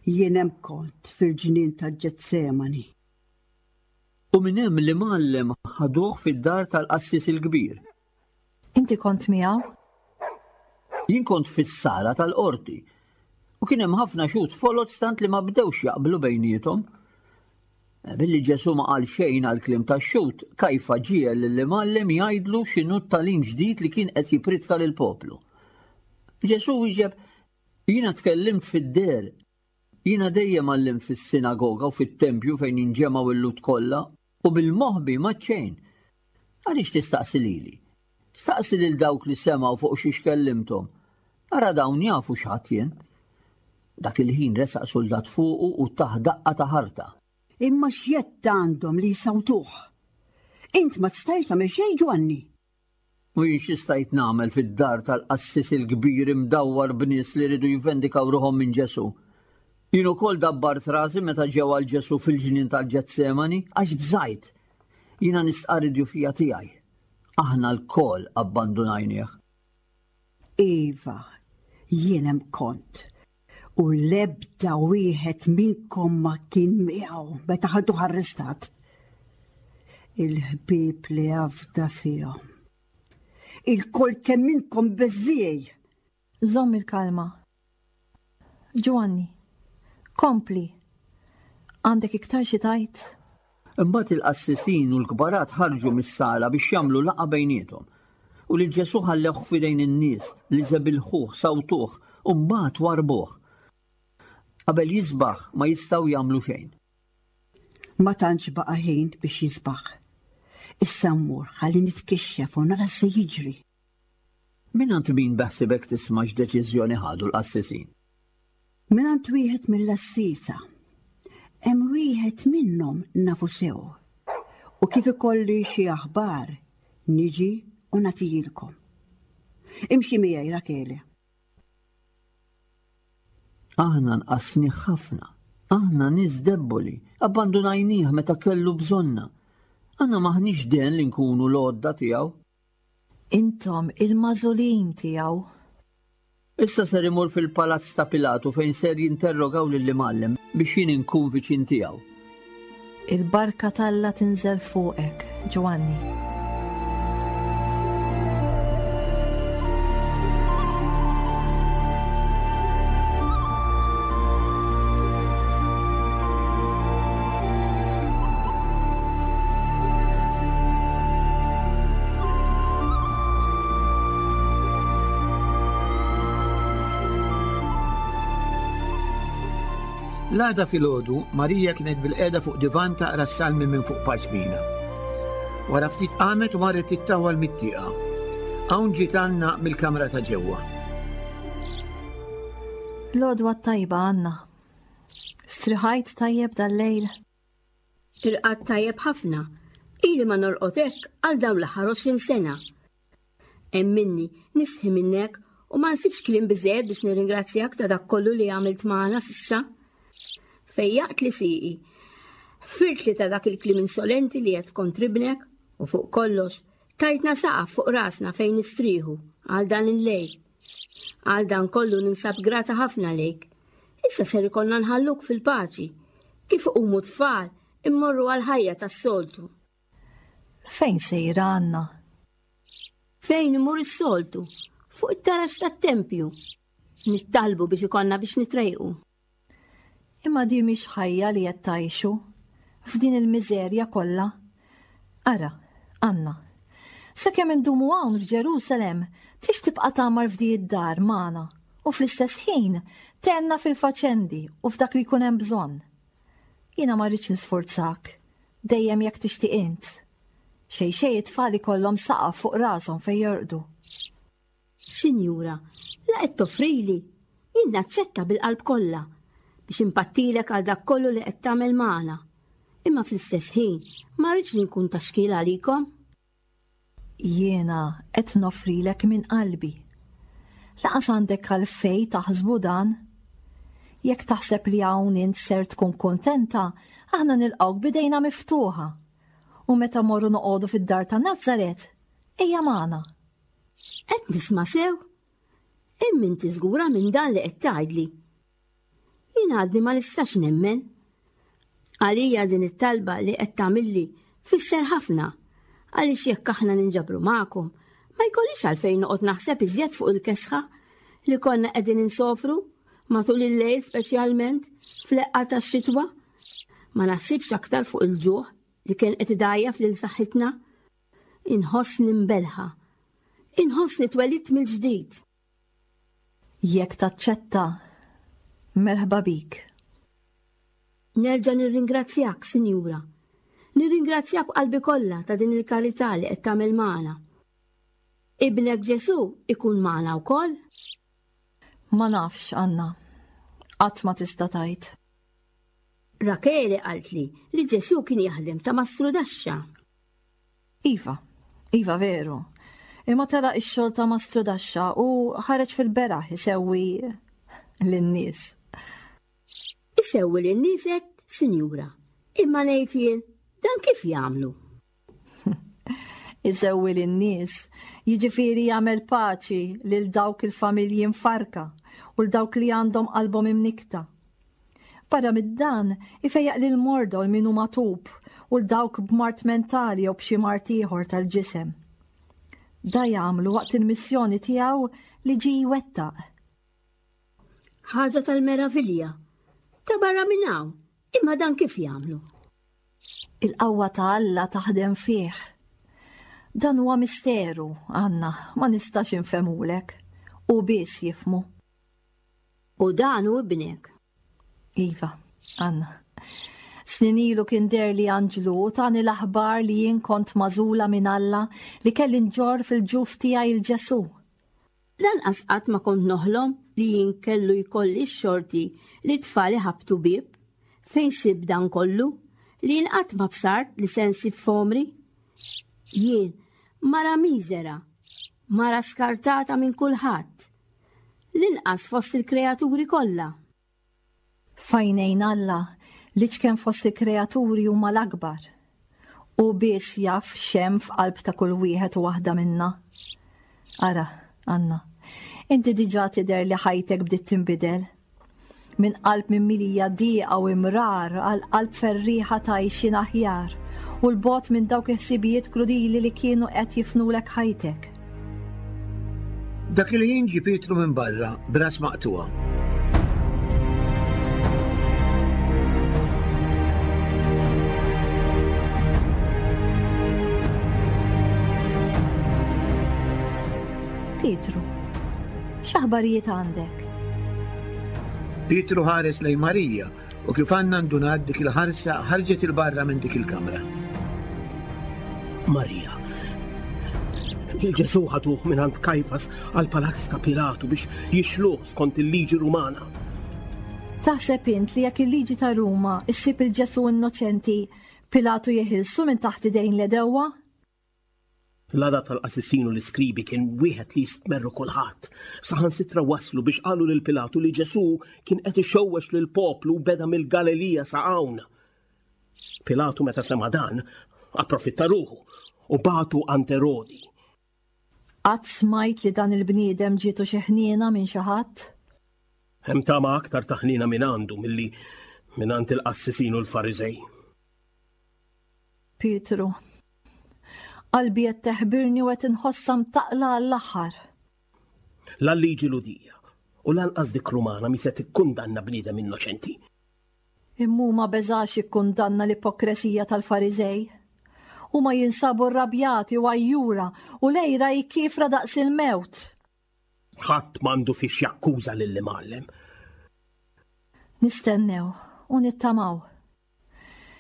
Jien hemm kont fil-ġnien ta' Ġetsemani. U minn hemm l-imgħallem ħaduh fid-dar tal-qassis il-kbir. Inti kont miegħu? Jien kont fis-sala tal-qorti. U kien hemm ħafna xhud foloz tant li ma bdewx jaqblu bejniethom. Billi Ġesù ma qal xejn għall-kliem tax-xhud, Kajfa ġiegħel lill-imgħallem jgħidlu x'inhu t-tagħlim ġdid li kien qed jippriedka lill-poplu. Ġesù wieġeb, Jiena tkellimt fid-deher. Jiena dejjem għallimt fis-sinagoga u fit-tempju fejn jinġemgħu l-Lhud kollha, u bil-moħbi m'għedt xejn. Għaliex tistaqsi lili? Staqsi lil dawk li semgħu fuq xiex kellimthom. Ara dawn jafu x'għedt jien. Dak il-ħin resaq suldat fuqu u tah daqqa ta' ħarta. Imma x'jedd għandhom li jsawtuh? Int ma stajtx tagħmel xejn, Ġwanni. U jien xi stajt nagħmel fid-dar tal-qassis il-kbir imdawwar b'nies li riedu jivvendikaw ruħhom minn Ġesù? Jien ukoll dabbart rasi meta ġew għal Ġesù fil-ġnien tal-Ġetsemani, għax bżajt. Jiena nistqarr id-djufija tiegħi. Aħna lkoll abbandunajnieh. Iva, jien hemm kont, u l-ebda wieħed minnkom ma kien miegħu meta ħaduh arrestat. Il-ħbieb li afda fihom. Ilkoll kemm minnkom beżżiegħi. Żomm il-kalma. Ġwanni, kompli. Għandek iktar xi tgħid? Imbagħad il-qassisin u l-kbarat ħarġu mis-sala biex jagħmlu laqgħa bejniethom. U lil Ġesù ħallewh f'idejn in-nies li żebilħuh, sawtuh, u mbagħad warrbuh. Qabel jisbaħ ma jistgħu jagħmlu xejn. Ma tantx baqa' ħin biex jisbaħ. Issa mmur ħalli nitkixxef u nara x'se jiġri. Mingħand min beħsibek tisma' x'deċiżjoni ħadu l-qassisin? Mingħand wieħed mill-għassiesa. Hemm wieħed minnhom nafu sew. U kif ikolli xi aħbar, niġi u nagħtihilkom. Imxi miegħi, Rakele. Aħna nqasnih ħafna. Aħna nies debboli, abbandunajnih meta kellu bżonna. Aħna m'aħniex den li nkunu l-għodda tiegħu. Intom il-magħżulin tiegħu. Issa ser imur fil-palazz ta' Pilatu fejn ser jinterrogaw lill-imgħallem biex jien inkun viċin tiegħu. Il-barka t'Alla tinżel fuqek, Ġwanni. L-għada filgħodu, Marija kienet bilqiegħda fuq divan taqra s-salmi minn fuq parċmina. Wara ftit qamet u marret tittawwal mit-tieqa. Hawn ġiet Anna mill-kamra ta' ġewwa. L-għodwa t-tajba, Anna. Striħajt tajjeb dal-lejl? Irqadt tajjeb ħafna. Ili ma norqod hekk għal dawn l-aħħar 20 sena. Emminni, nistħi minnek u ma nsibx kliem biżejjed biex nirringrazzjak ta' dak kollu li għamilt magħna s'issa. Fejjaqt li sieqi. Ħfirtli ta' dak il-kliem insolenti li għedt kontribnek u fuq kollox tajtna saqaf fuq rasna fejn nistrieħu għal dan il-lejl. Għal dan kollu ninsab grata ħafna lejk. Issa ser ikollna nħalluk fil-paċi. Kif iqumu t-tfal, immorru għall-ħajja tas-soltu. Fejn sejra Anna? Fejn imur is-soltu? Fuq it-taraġ tat-tempju. Nittalbu biex ikollna biex nitrejqu. Imma di mhix ħajja li qed tgħixu f'din il-miżerja kollha. Ara, Anna, sakemm indumu hawn f'Ġerusalem, tix tibqa' tgħammar f'di id-dar magħna u fl-istess ħin tgħinna fil-faċendi u f'dak li jkun hemm bżonn. Jiena ma rridx nisfurzak, dejjem jekk tixtieq int. Xejn xejn it-tfal ikollhom saqaf fuq rashom fejn jorqdu. Sinjura, la qed toffrili, jien naċċetta bil-qalb kollha biex impattilek għal dak kollu li qed tagħmel magħna. Imma fl-istess ħin ma rridx li nkun ta' xkiel għalikom. Jiena qed noffrilek minn qalbi. Laqas għandek għalfejn taħsbu dan. Jekk taħseb li hawn int ser tkun kuntenta, aħna nilqgħuk b'idejna miftuħa. U meta mmorru noqogħdu fid-dar ta' Nazaret, ejja magħna. Qed nisma' sew? Imma inti żgura minn dan li qed tgħidli? Jien għadni ma nistax nemmen. Għalija din it-talba li qed tagħmilli tfisser ħafna għaliex jekk aħna ninġabru magħkom ma jkollix għalfejn noqgħod naħseb iżjed fuq il-kesħa li konna qegħdin insofru matul il-lejl speċjalment fl-eqqa tax-xitwa. Ma naħsibx aktar fuq il-ġuħ li kien qed idgħajjef lil saħħitna. Inħossni mbelħa. Inħossni twelidt mill-ġdid. Jekk taċċetta, merħba bik. Nerġa' nirringrazzjak, Sinjura. Nirringrazzjak b'qalbi kollha ta' din il-karità li qed tagħmel magħna. Ibnek Ġesù ikun magħna wkoll? Ma nafx, Anna. Qatt ma tista' tgħid. Rakele qaltli li Ġesù kien jaħdem ta' mastrudaxxa. Iva, iva veru. Imma telaq ix-xogħol ta' mastrudaxxa u ħareġ fil-beraħ isewwi lin-nies. Isewwi lin-nies għedt, sinjura. Imma ngħid jien, dan kif jagħmlu? Isewwi lin-nies, jiġifieri jagħmel paċi lil dawk il-familji mfarrka u 'l dawk li għandhom qalbhom imnikkta. Barra minn dan, ifejjaq lill-morda u 'l min hu magħtub u 'l dawk b'mard mentali jew b'xi mard ieħor tal-ġisem. Da jagħmlu waqt il-missjoni tiegħu li ġie jwettaq. Ħaġa tal-meravilja! Ta' barra minn hawn, imma dan kif jagħmlu? Il-qawwa ta' Alla taħdem fih. Dan huwa misteru, Anna, ma nistax infehmulek. Hu biss jifhmu. U dan hu ibnek. Iva, Anna. Snin ilu kien deherli anġlu u tani l-aħbar li jien kont magħżula minn Alla li kelli nġorr fil-ġuf tiegħi 'l Ġesù. Lanqas qatt ma kont noħlom li jien kellu jkolli x-xorti li t-tfal iħabbtu bieb. Fejn sibt dan kollu? Li jien qatt ma bsart li se nsib f'għomri? Jien, mara miżera, mara skartata minn kulħadd, l-inqas fost il-kreaturi kollha. F'għajnejn Alla, l-iċken fost il-kreaturi huma l-akbar. Hu biss jaf x'hemm f'qalb ta' kull wieħed u waħda minna. Ara, Anna, inti diġà tidher li ħajtek bdiet tinbidel. Minn qalb mimlija dieqa u imrar għal qalb ferrieħa ta' għixien aħjar u 'l bogħod minn dawk il-ħsibijiet krudili li kienu qed jifnulek ħajtek. Dak il-ħin ġie Pietru minn barra b'ras maqtugħa. Pietru, x'aħbarijiet għandek? Pietru ħares lejn Marija u kif Anna ndunat dik il-ħarsa ħarġet 'il barra minn dik il-kamra. Marija, lil Ġesù ħaduh mingħand Kajfas għall-palazz ta' Pilatu biex jixluh skont il-liġi Rumana. Taħseb int li jekk il-liġi ta' Ruma ssib 'il Ġesù innoċenti, Pilatu jeħilsu minn taħt idejn l-għedewwa? L-għadab tal-qassisin u l-iskribi kien wieħed li jistmerru kulħadd. Saħansitra waslu biex qalu lil Pilatu li Ġesù kien qed ixewwex lill-poplu u beda mill-Galilija sa hawn. Pilatu meta sema' dan, approfitta ruħu u bagħtu għand Erodi. Qatt smajt li dan il-bniedem ġietu xi ħniena minn xi ħadd? Hemm tama aktar ta' ħniena minn għandu milli mingħand il-qassisin u l-Fariżej. Pietru, Qalbi qed teħbirni u qed inħossha mtaqqla għall-aħħar. La l-liġi Lhudija u lanqas dik Rumana mhi se tikkundanna bniedem innoċenti. Imma hu ma beżax jikkundanna l-ipokresija tal-Fariżej. Huma jinsabu rrabjati u għajjura u l-għira hi kiefra daqs il-mewt. Ħadd m'għandu fiex jakkuża lill-Imgħallem. Nistennew u nittamaw.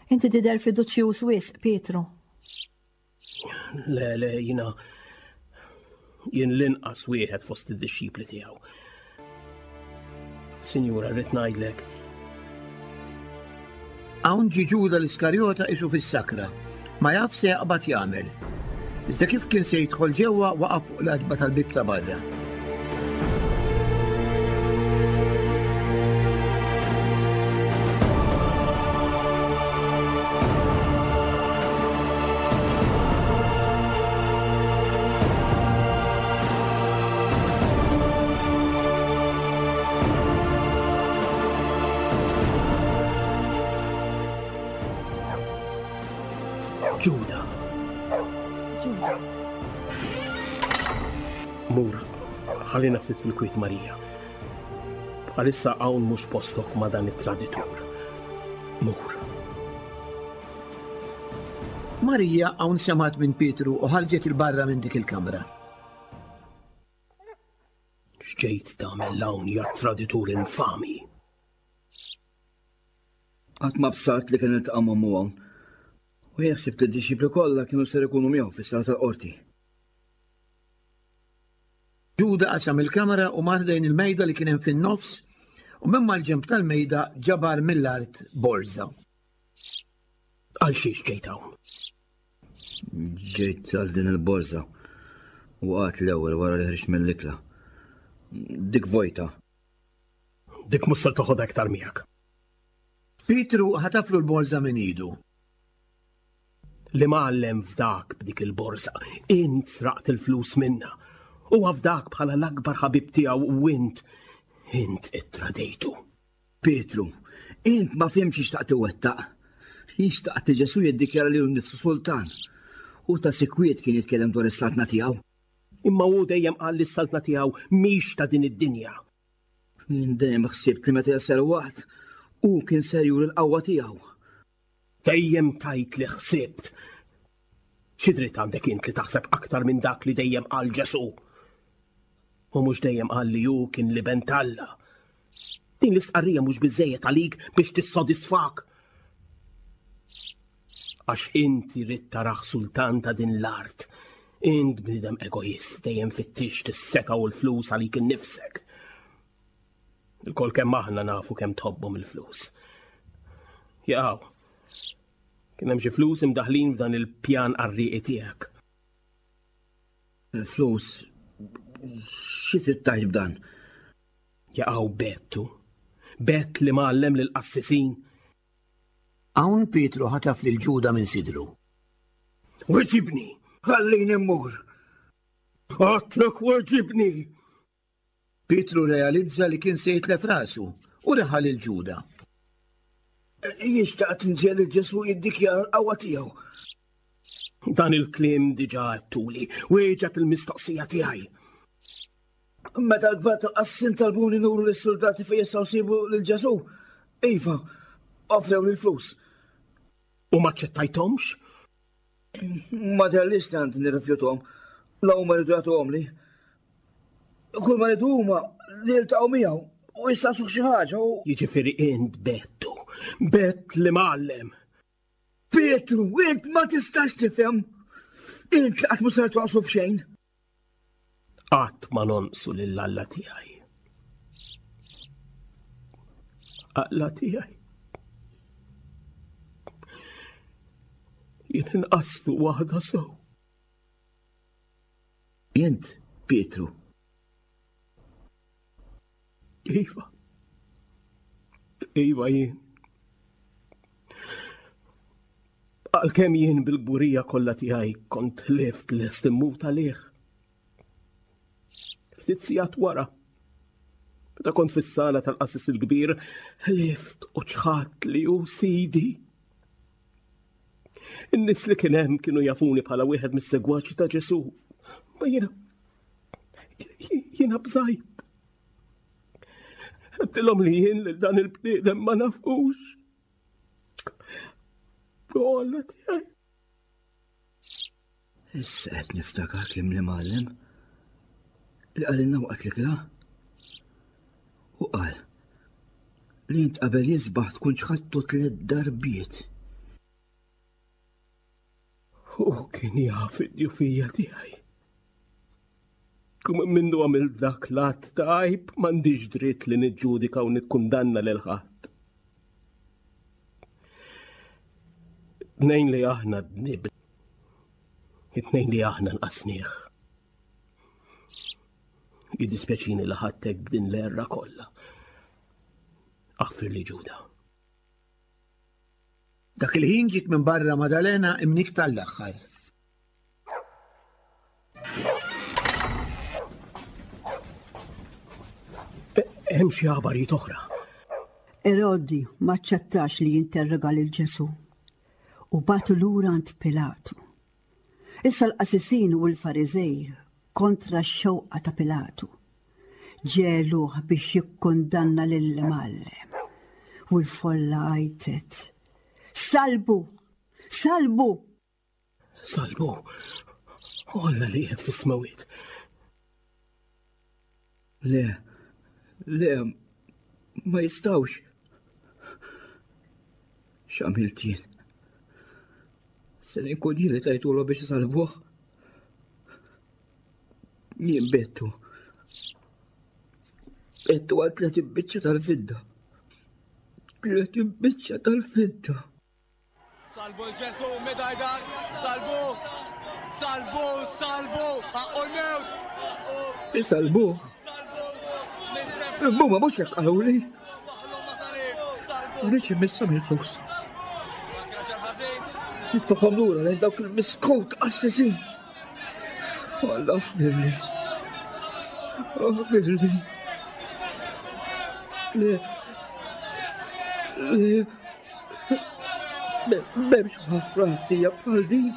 Inti tidher fiduċjuż wisq, Pietru. Le, le, jina jien l-inqas wieħed fost id-dixxipli tiegħu. Sinjura, rrid ngħidlek. Hawn ġie Ġuda l-Iskarjota isu fis-sakra, ma jaf se jaqbad jagħmel. Iżda kif kien se jidħol ġewwa waqaf fuq l-għatba tal-bieb ta' barra. Ġuda. Ġuda. Mur, ħallina ftit fil-kwiet Marija. Għalissa hawn mhux postok ma' dan it-traditur. Mur. Marija hawn semgħet minn Pietru u ħarġet 'il barra minn dik il-kamra. X'ġejt tagħmel hawn ja traditur infami? Qatt ma bsart li kien iltaqa' m'ommu hawn. U jien ħsibt li d-dixxipli kollha kienu ser ikunu miegħu fis-sala tal-qorti. Ġuda qasam il-kamra u mar lejn il-mejda li kien hemm fin-nofs u minn mal-ġenb tal-mejda ġabar mill-art borża. Għal xiex ġejt hawn? Ġejt għal din il-borża. Waqgħet l-ewwel wara li ħriġt mill-ikla. Dik vojta. Dik mhux ser toħodha iktar miegħek. Pietru ħataflu l-borża minn idu. L-imgħallem fdak b'dik il-borża. Int sraqt il-flus minnha. Huwa fdak bħala l-akbar ħabib tiegħu u int, int ittradejtu. Pietru, int ma fhimtx xi xtaqt iwettaq. Jien xtaqt li Ġesù jiddikjara lilu nnifsu sultan. Hu ta' sikwit kien jitkellem dwar is-saltna tiegħu. Imma hu dejjem qal li s-saltna tiegħu mhix ta' din id-dinja. Jien dejjem ħsibt li meta jasal waqt, hu kien ser juri l-qawwa tiegħu. Dejjem tgħid li ħsibt. Xi dritt għandek int li taħseb aktar minn dak li dejjem qal Ġesù? Hu mhux dejjem qal li hu kien l-Iben t'Alla. Din l-istqarrija mhux biżżejjed għalik biex tissodisfak. Għax inti ridt tarah sultan ta' din l-art. Int bniedem egoist dejjem fittixt is-setgħa u l-flus għalik innifsek. Ilkoll kemm aħna nafu kemm tħobbhom il-flus. Jaqaw, kien hemm xi flus imdaħlin f'dan il-pjan qarrieqi tiegħek. Il-flus xi trid tgħid b'dan? Jaqaw bettu. Bett li mgħallem lill-qassisin. Hawn Pietru ħataf lil Ġuda minn sidru. Weġibni! Ħallini mmur! Għadtlek weġibni! Pietru rrealizza li kien se jitlef rasu u reħa lil Ġuda. Jien xtaqt nġiegħel lil Ġesù jiddikjara l-qawwa tiegħu. Dan il-kliem diġà għedtuli, wieġeb il-mistoqsija tiegħi. Meta l-kbar tal-qassin talbuni nuru lis-suldati fejn jistgħu jsibu lil Ġesù, iva, offrewli l-flus. U ma ċċettajthomx? Ma dherlix li għandi nirrifjuthom, la huma rridu jagħtuhomli. Kull ma rridu huma li jiltaqgħu miegħu u jistaqsuh xi ħaġa u. Jiġifieri int bettu, bett li mgħallem. Pietru, int ma tistax tifhem. Int li qatt mhu ser tonqsu f'xejn. Qatt ma nonqsu lil Alla tiegħi. Alla tiegħi. Jien inqaslu waħda sew. Int, Pietru. Iva. Iva jien. Għalkemm jien bil-kburija kollha tiegħi kont ħlift lest immut għalih. Ftit sigħat wara, meta kont fis-sala tal-qassis il-kbir, ħlift u ċħadt li hu sidi. In-nies li kien hemm kienu jafuni bħala wieħed mis-segwaċi ta' Ġesù. Ma jiena jiena bżajt. Għedtilhom li jien lil dan il-bniedem ma nafux. Alla tiegħi. Issa qed niftakar kliem l-imgħallem li qalilna waqt l-ikla. U qal li int qabel jisbaħ tkun ċħadtu tliet darbiet. U kien jaf id-djufija tiegħi. U minn mindu għamilt dak l-att ta' għajb m'għandix dritt li niġġudika u nikkundanna lil ħadd. Tnejn li aħna dnib. It-tnejn li aħna nqasnieh. Jiddispjaċini li ħadtek b'din l-erra kollha. Aħfir li Ġuda. Dak il-ħin ġiet minn barra Madalena imnikkta l-aħħar. Hemm xi aħbarijiet oħra. Erodi ma ċċettax li jinterroga lil Ġesù u bagħtu lura għand Pilatu. Issa l-qasisin u l-Fariżej kontra x-xewqa ta' Pilatu ġegħluh biex jikkundanna lill-Imgħallem. U l-folla għajtet, Salbu! Salbu! Salbu, o Alla li qiegħed fis-smewwiet. Le, le, ma jistgħux. X'għamilt jien? Se nkun jien li tajtulu biex isalbuh? Jien bettu. Bettu għal 30 biċċa tal-fidda. 30 biċċa tal-fidda. Salbu l-Ġesu midajdak, salbu, salbu, salbu, ħaqqu l-mewt. Isalbu. Muma mhux hekk qaluli. Rridx immisshom il-flus. Nitfaħħom lura lejn dawk il-miskut qassisin. Alla aħfirli. Aħfirli. Le. Le. M'hemmx ħafra ħtija bħal din.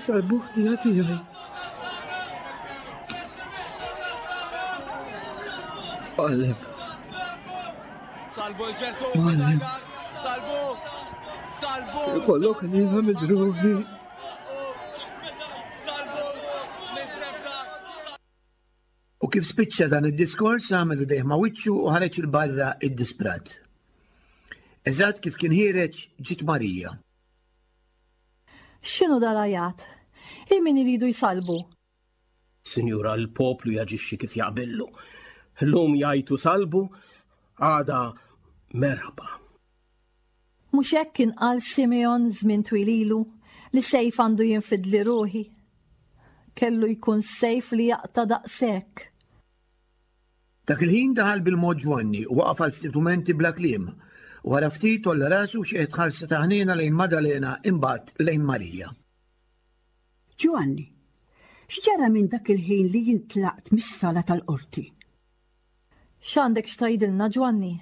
Sar buħtija tiegħi. Għallem. Salbu l-ġesu, salbu, salbu. Kollok nina midrubi. U kif spiċċa dan id-diskors għamel idejh ma' wiċċu u ħareġ 'il barra iddisprat. Eżatt kif kien ħiereġ ġiet Marija. X'inhu dal-għajat? Il min iridu jsallbu? Sinjura, l-poplu jaġixxi kif jaqbillu. Llum jgħajtu salbu, għada merħba. Mhux hekk kien qal Simeon żmien twil ilu li sejf għandu jinfidli ruħi. Kellu jkun sejf li jaqta' daqshekk. Dak il-ħin daħal bil-mod Ġwanni u waqaf għal ftit mumenti bla kliem. Wara ftit għolla rasu u xeħet ħarsa ta' ħniena lejn Madalena imbagħad lejn Marija. Ġwanni, x'ġara minn dak il-ħin li jien tlaqt mis-sala tal-qorti? X'għandek x'tgħidilna, Ġwanni?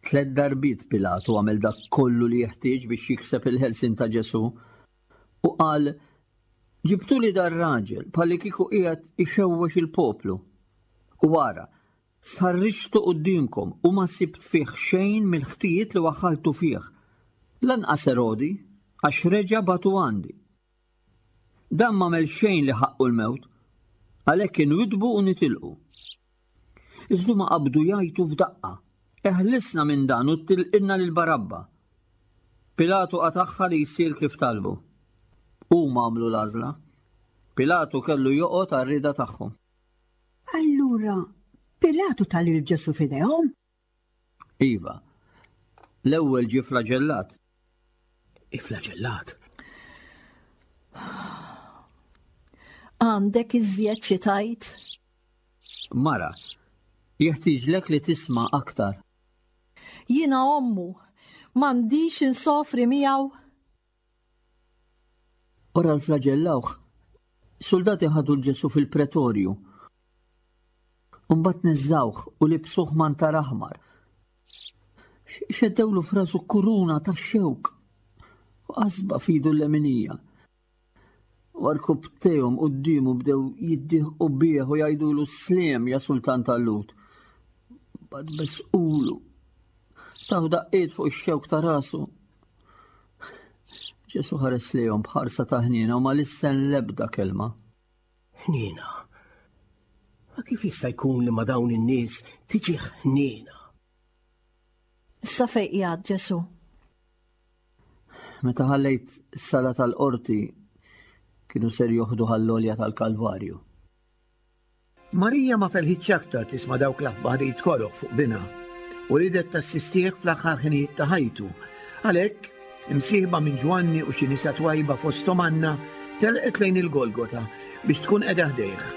Tlett darbiet Pilatu għamel dak kollu li jeħtieġ biex jikseb il-ħelsien ta' Ġesù u qal, Ġibtuli dar-raġel bħallikieku qiegħed ixewwex il-poplu. U ara, stħarriġtu quddiemkom u ma sibt fih xejn mill-ħtijiet li waħħaltu fih. Lanqas Erodi, għax reġa' bagħtu għandi. Dan m'għamel xejn li ħaqqu l-mewt, għalhekk inwiddbu u nitilqu. Iżda huma qabdu jgħajtu f'daqqa, Eħlisna minn dan u tilqilna lil Barabba! Pilatu qatagħha li jsir kif talbu. Huma għamlu l-għażla. Pilatu kellu joqgħod għar-rieda tagħhom. Allura, Pilatu ta lil Ġesù f'idejhom? Iva. L-ewwel ġie flaġellat. Iflaġellat? Għandek iżjed xi tgħid? Mara, jeħtieġlek li tisma' aktar. Jiena ommu, m'għandix insofri miegħu? Wara l-flaġellawh, suldati ħadu 'l Ġesù fil-pretorju. U mbagħad neżżgħuh u libsuh mantar aħmar. Xeddewlu f'rasu kuruna tax-xewk u qasba f'idu l-leminija. U rkubbtejhom quddiemu bdew jiddieħqu bih u jgħidulu sliem ja sultan tal-Lhud. Mbagħad besqulu. Taw daqqiet fuq ix-xewk ta' rasu. Ġesu ħares lejhom b'ħarsa ta' ħniena u ma lissen l-ebda kelma. Ħniena. Ma kif jista' jkun li ma dawn in-nies tiġi ħniena? Issa fejn qiegħed Ġesu? Meta ħallejt is-sala tal-qorti kienu ser joħdu għall-għolja tal-Kalvarju. Marija ma felħitx aktar tisma' dawk l-aħbarijiet koroh fuq binha u riedet tassistih fl-aħħar ħinijiet ta' ħajtu. Għalhekk, imsieħba minn Ġwanni u xi nisa twajba fosthom Anna, telqet lejn il-Golgota biex tkun qiegħda ħdejh.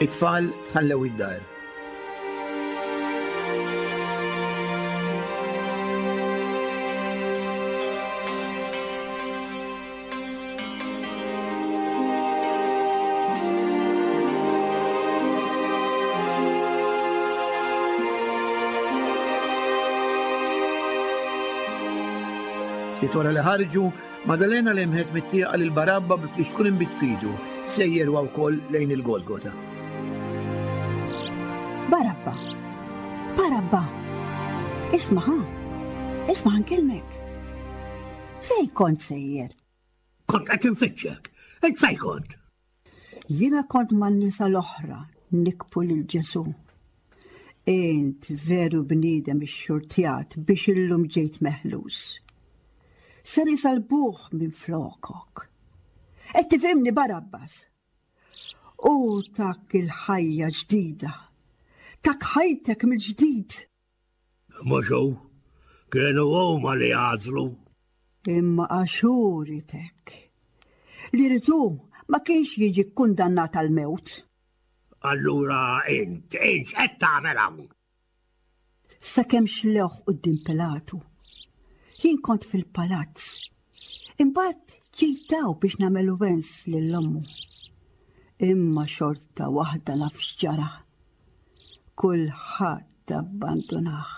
It-tfal tħallew id-dar. Ftit wara li ħarġu, Madalena lemħet mit-tieqa lil Barabba bi flixkun inbid f'idu, sejjer huwa wkoll lejn il-Golgota. Barabba! Barabba! Isma' ħa! Isma' ħa nkellmek! Fejn kont sejjer? Kont qed infittxek. Int fejn kont? Jiena kont man-nisa l-oħra nikbu lil Ġesù. Int veru bniedem ixxurtjat biex illum ġejt meħlus. Ser isalbuh minn flokok. Qed tifhimni Barabbas? U tak il-ħajja ġdida. Tak ħajtek mill-ġdid. Mhux hu, kienu huma li għażlu. Imma għax hu ried hekk. Li ried hu ma kienx jiġi kkundannat għall-mewt. Allura int, int x'qed tagħmel hawn? Sakemm xlewh quddiem Pilatu. Jien kont fil-palazz. Imbagħad ġejt hawn biex nagħmel wens lil ommu. Imma xorta waħda naf x'ġara. Kulħadd abbandunah,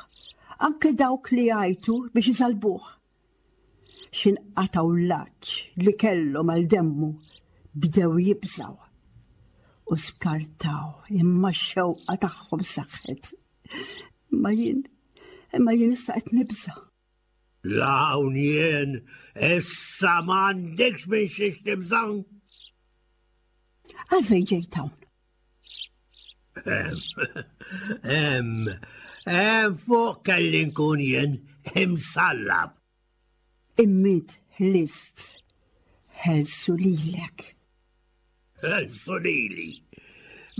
anke dawk li jgħajtu biex isalbuh. X'inqatgħu l-għatx li kellhom għal demmu bdew jibżgħu u skartaw imma x-xewqa tagħhom saħħet. Imma jien, imma jien issa qed nibża'. La hawn jien, issa m'għandekx minn xiex tibża'. Għalfejn ġejt hawn? Hemm, hemm fuq kelli nkun jien imsallab. Immit ħlist, ħelsu lilek. Ħelsu lili.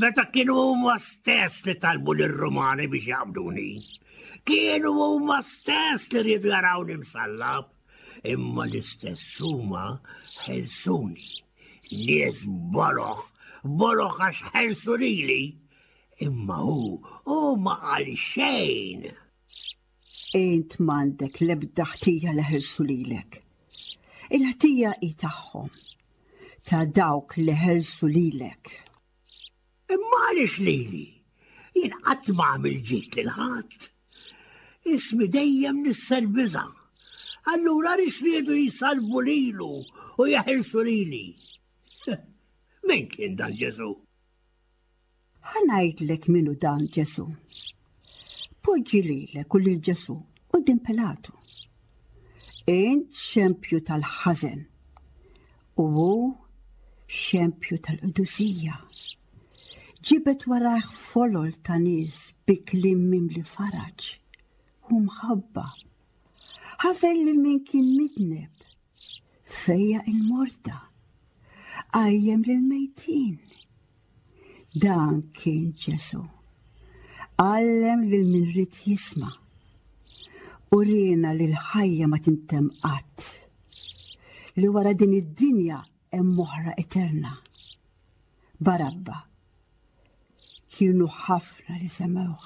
Meta kienu huma stess li talbu lir-Rumani biex jaqbduni. Kienu huma stess li riedu jarawni msallab. Imma l-istess huma ħelsuni. Nies boloh, boloh għax ħelsu lili. Imma hu, hu ma qal xejn. Int m'għandek l-ebda ħtija li ħelsu lilek. Il-ħtija hi tagħhom, ta' dawk li ħelsu lilek. Imma għaliex lili? Jien qatt ma għamil ġid lil ħadd. Ismi dejjem nissel biża'. Allura għaliex riedu jsalbu lilu u jeħilsu lili? Min kien dan Ġesù? Ħa ngħidlek min hu dan Ġesù. Poġġi lilek u lil Ġesù quddiem Pilatu. Int xempju tal-ħażen u hu xempju tal-qdusija. Ġibed warajh folol ta' nies bi kliem mimli faraġ u mħabba. Ħafer lil min kien midneb, fejjaq il-morda, qajjem lill-mejtin. Dan kien Ġesù. Għallem lil min ried jisma'. Uriena li l-ħajja ma tintemm qatt. Li wara din id-dinja hemm oħra eterna. Barabba. Kienu ħafna li semgħuh.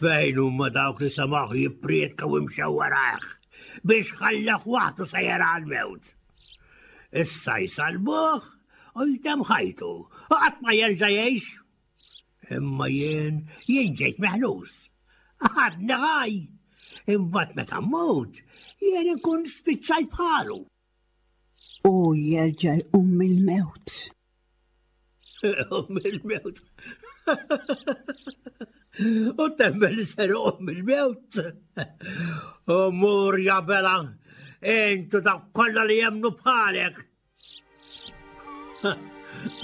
Fejn huma dawk li semgħuh jipprietka u imxew warajh biex ħalleh waħdu sejjer għall-mewt? Issa jsallbuh u jtemm ħajtu u qatt ma jerġa' jgħix. Imma jien, jien ġejt meħlus. Għadni ħaj. Imbagħad meta mmut, jien inkun spiċċajt bħalu. U jerġa' jqum mill-mewt. Jqum mill-mewt. U temmen li ser iqum mill-mewt. U mur ja bela, intu dak kollha li jemnu bħalek.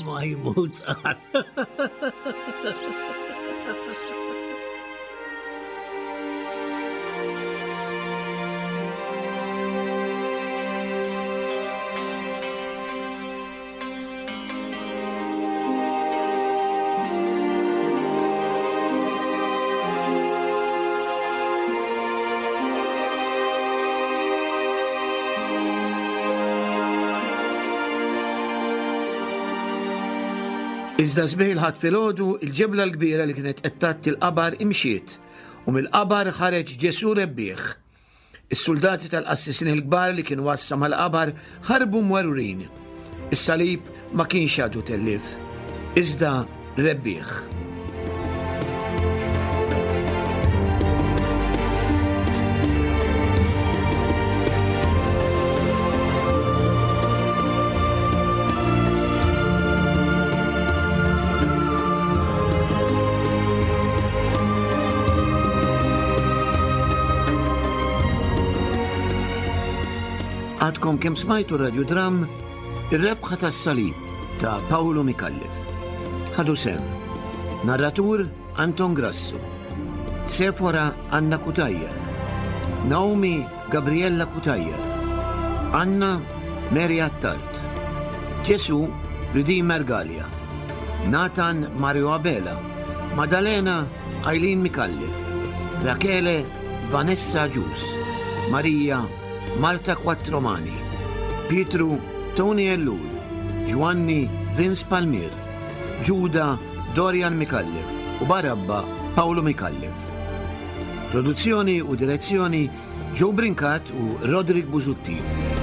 Ma jmut qatt. Iżda sbieħ il-Ħadd filgħodu, il-ġebla l-kbira li kienet qed tgħatti l-qabar imxiet, u mill-qabar ħareġ Ġesù rebbieħ. Is-suldati tal-qassisin il-kbar li kienu għassa mal-qabar ħarbu mwerwrin. Is-salib ma kienx għadu tellief, iżda rebbieħ. Għadkom kemm smajtu radjudram Ir-rebħa tas-salib ta' Paolo Micallef. Ħadu sem. Narratur Anton Grasso. Sefora Anna Cutajar. Naomi Gabriella Cutajar. Anna Mary Attard. Ġesu Redeemer Gallia. Nathan Mario Abela. Madalena Eileen Micallef, Rachele Vanessa Agius, Marija Marta Quattromani, Pietru Tony Ellul, Ġwanni Vince Palmier, Ġuda Dorian Micallef u Barabba Paolo Micallef. Produzzjoni u direzzjoni Joe Brincat u Roderick Busuttil.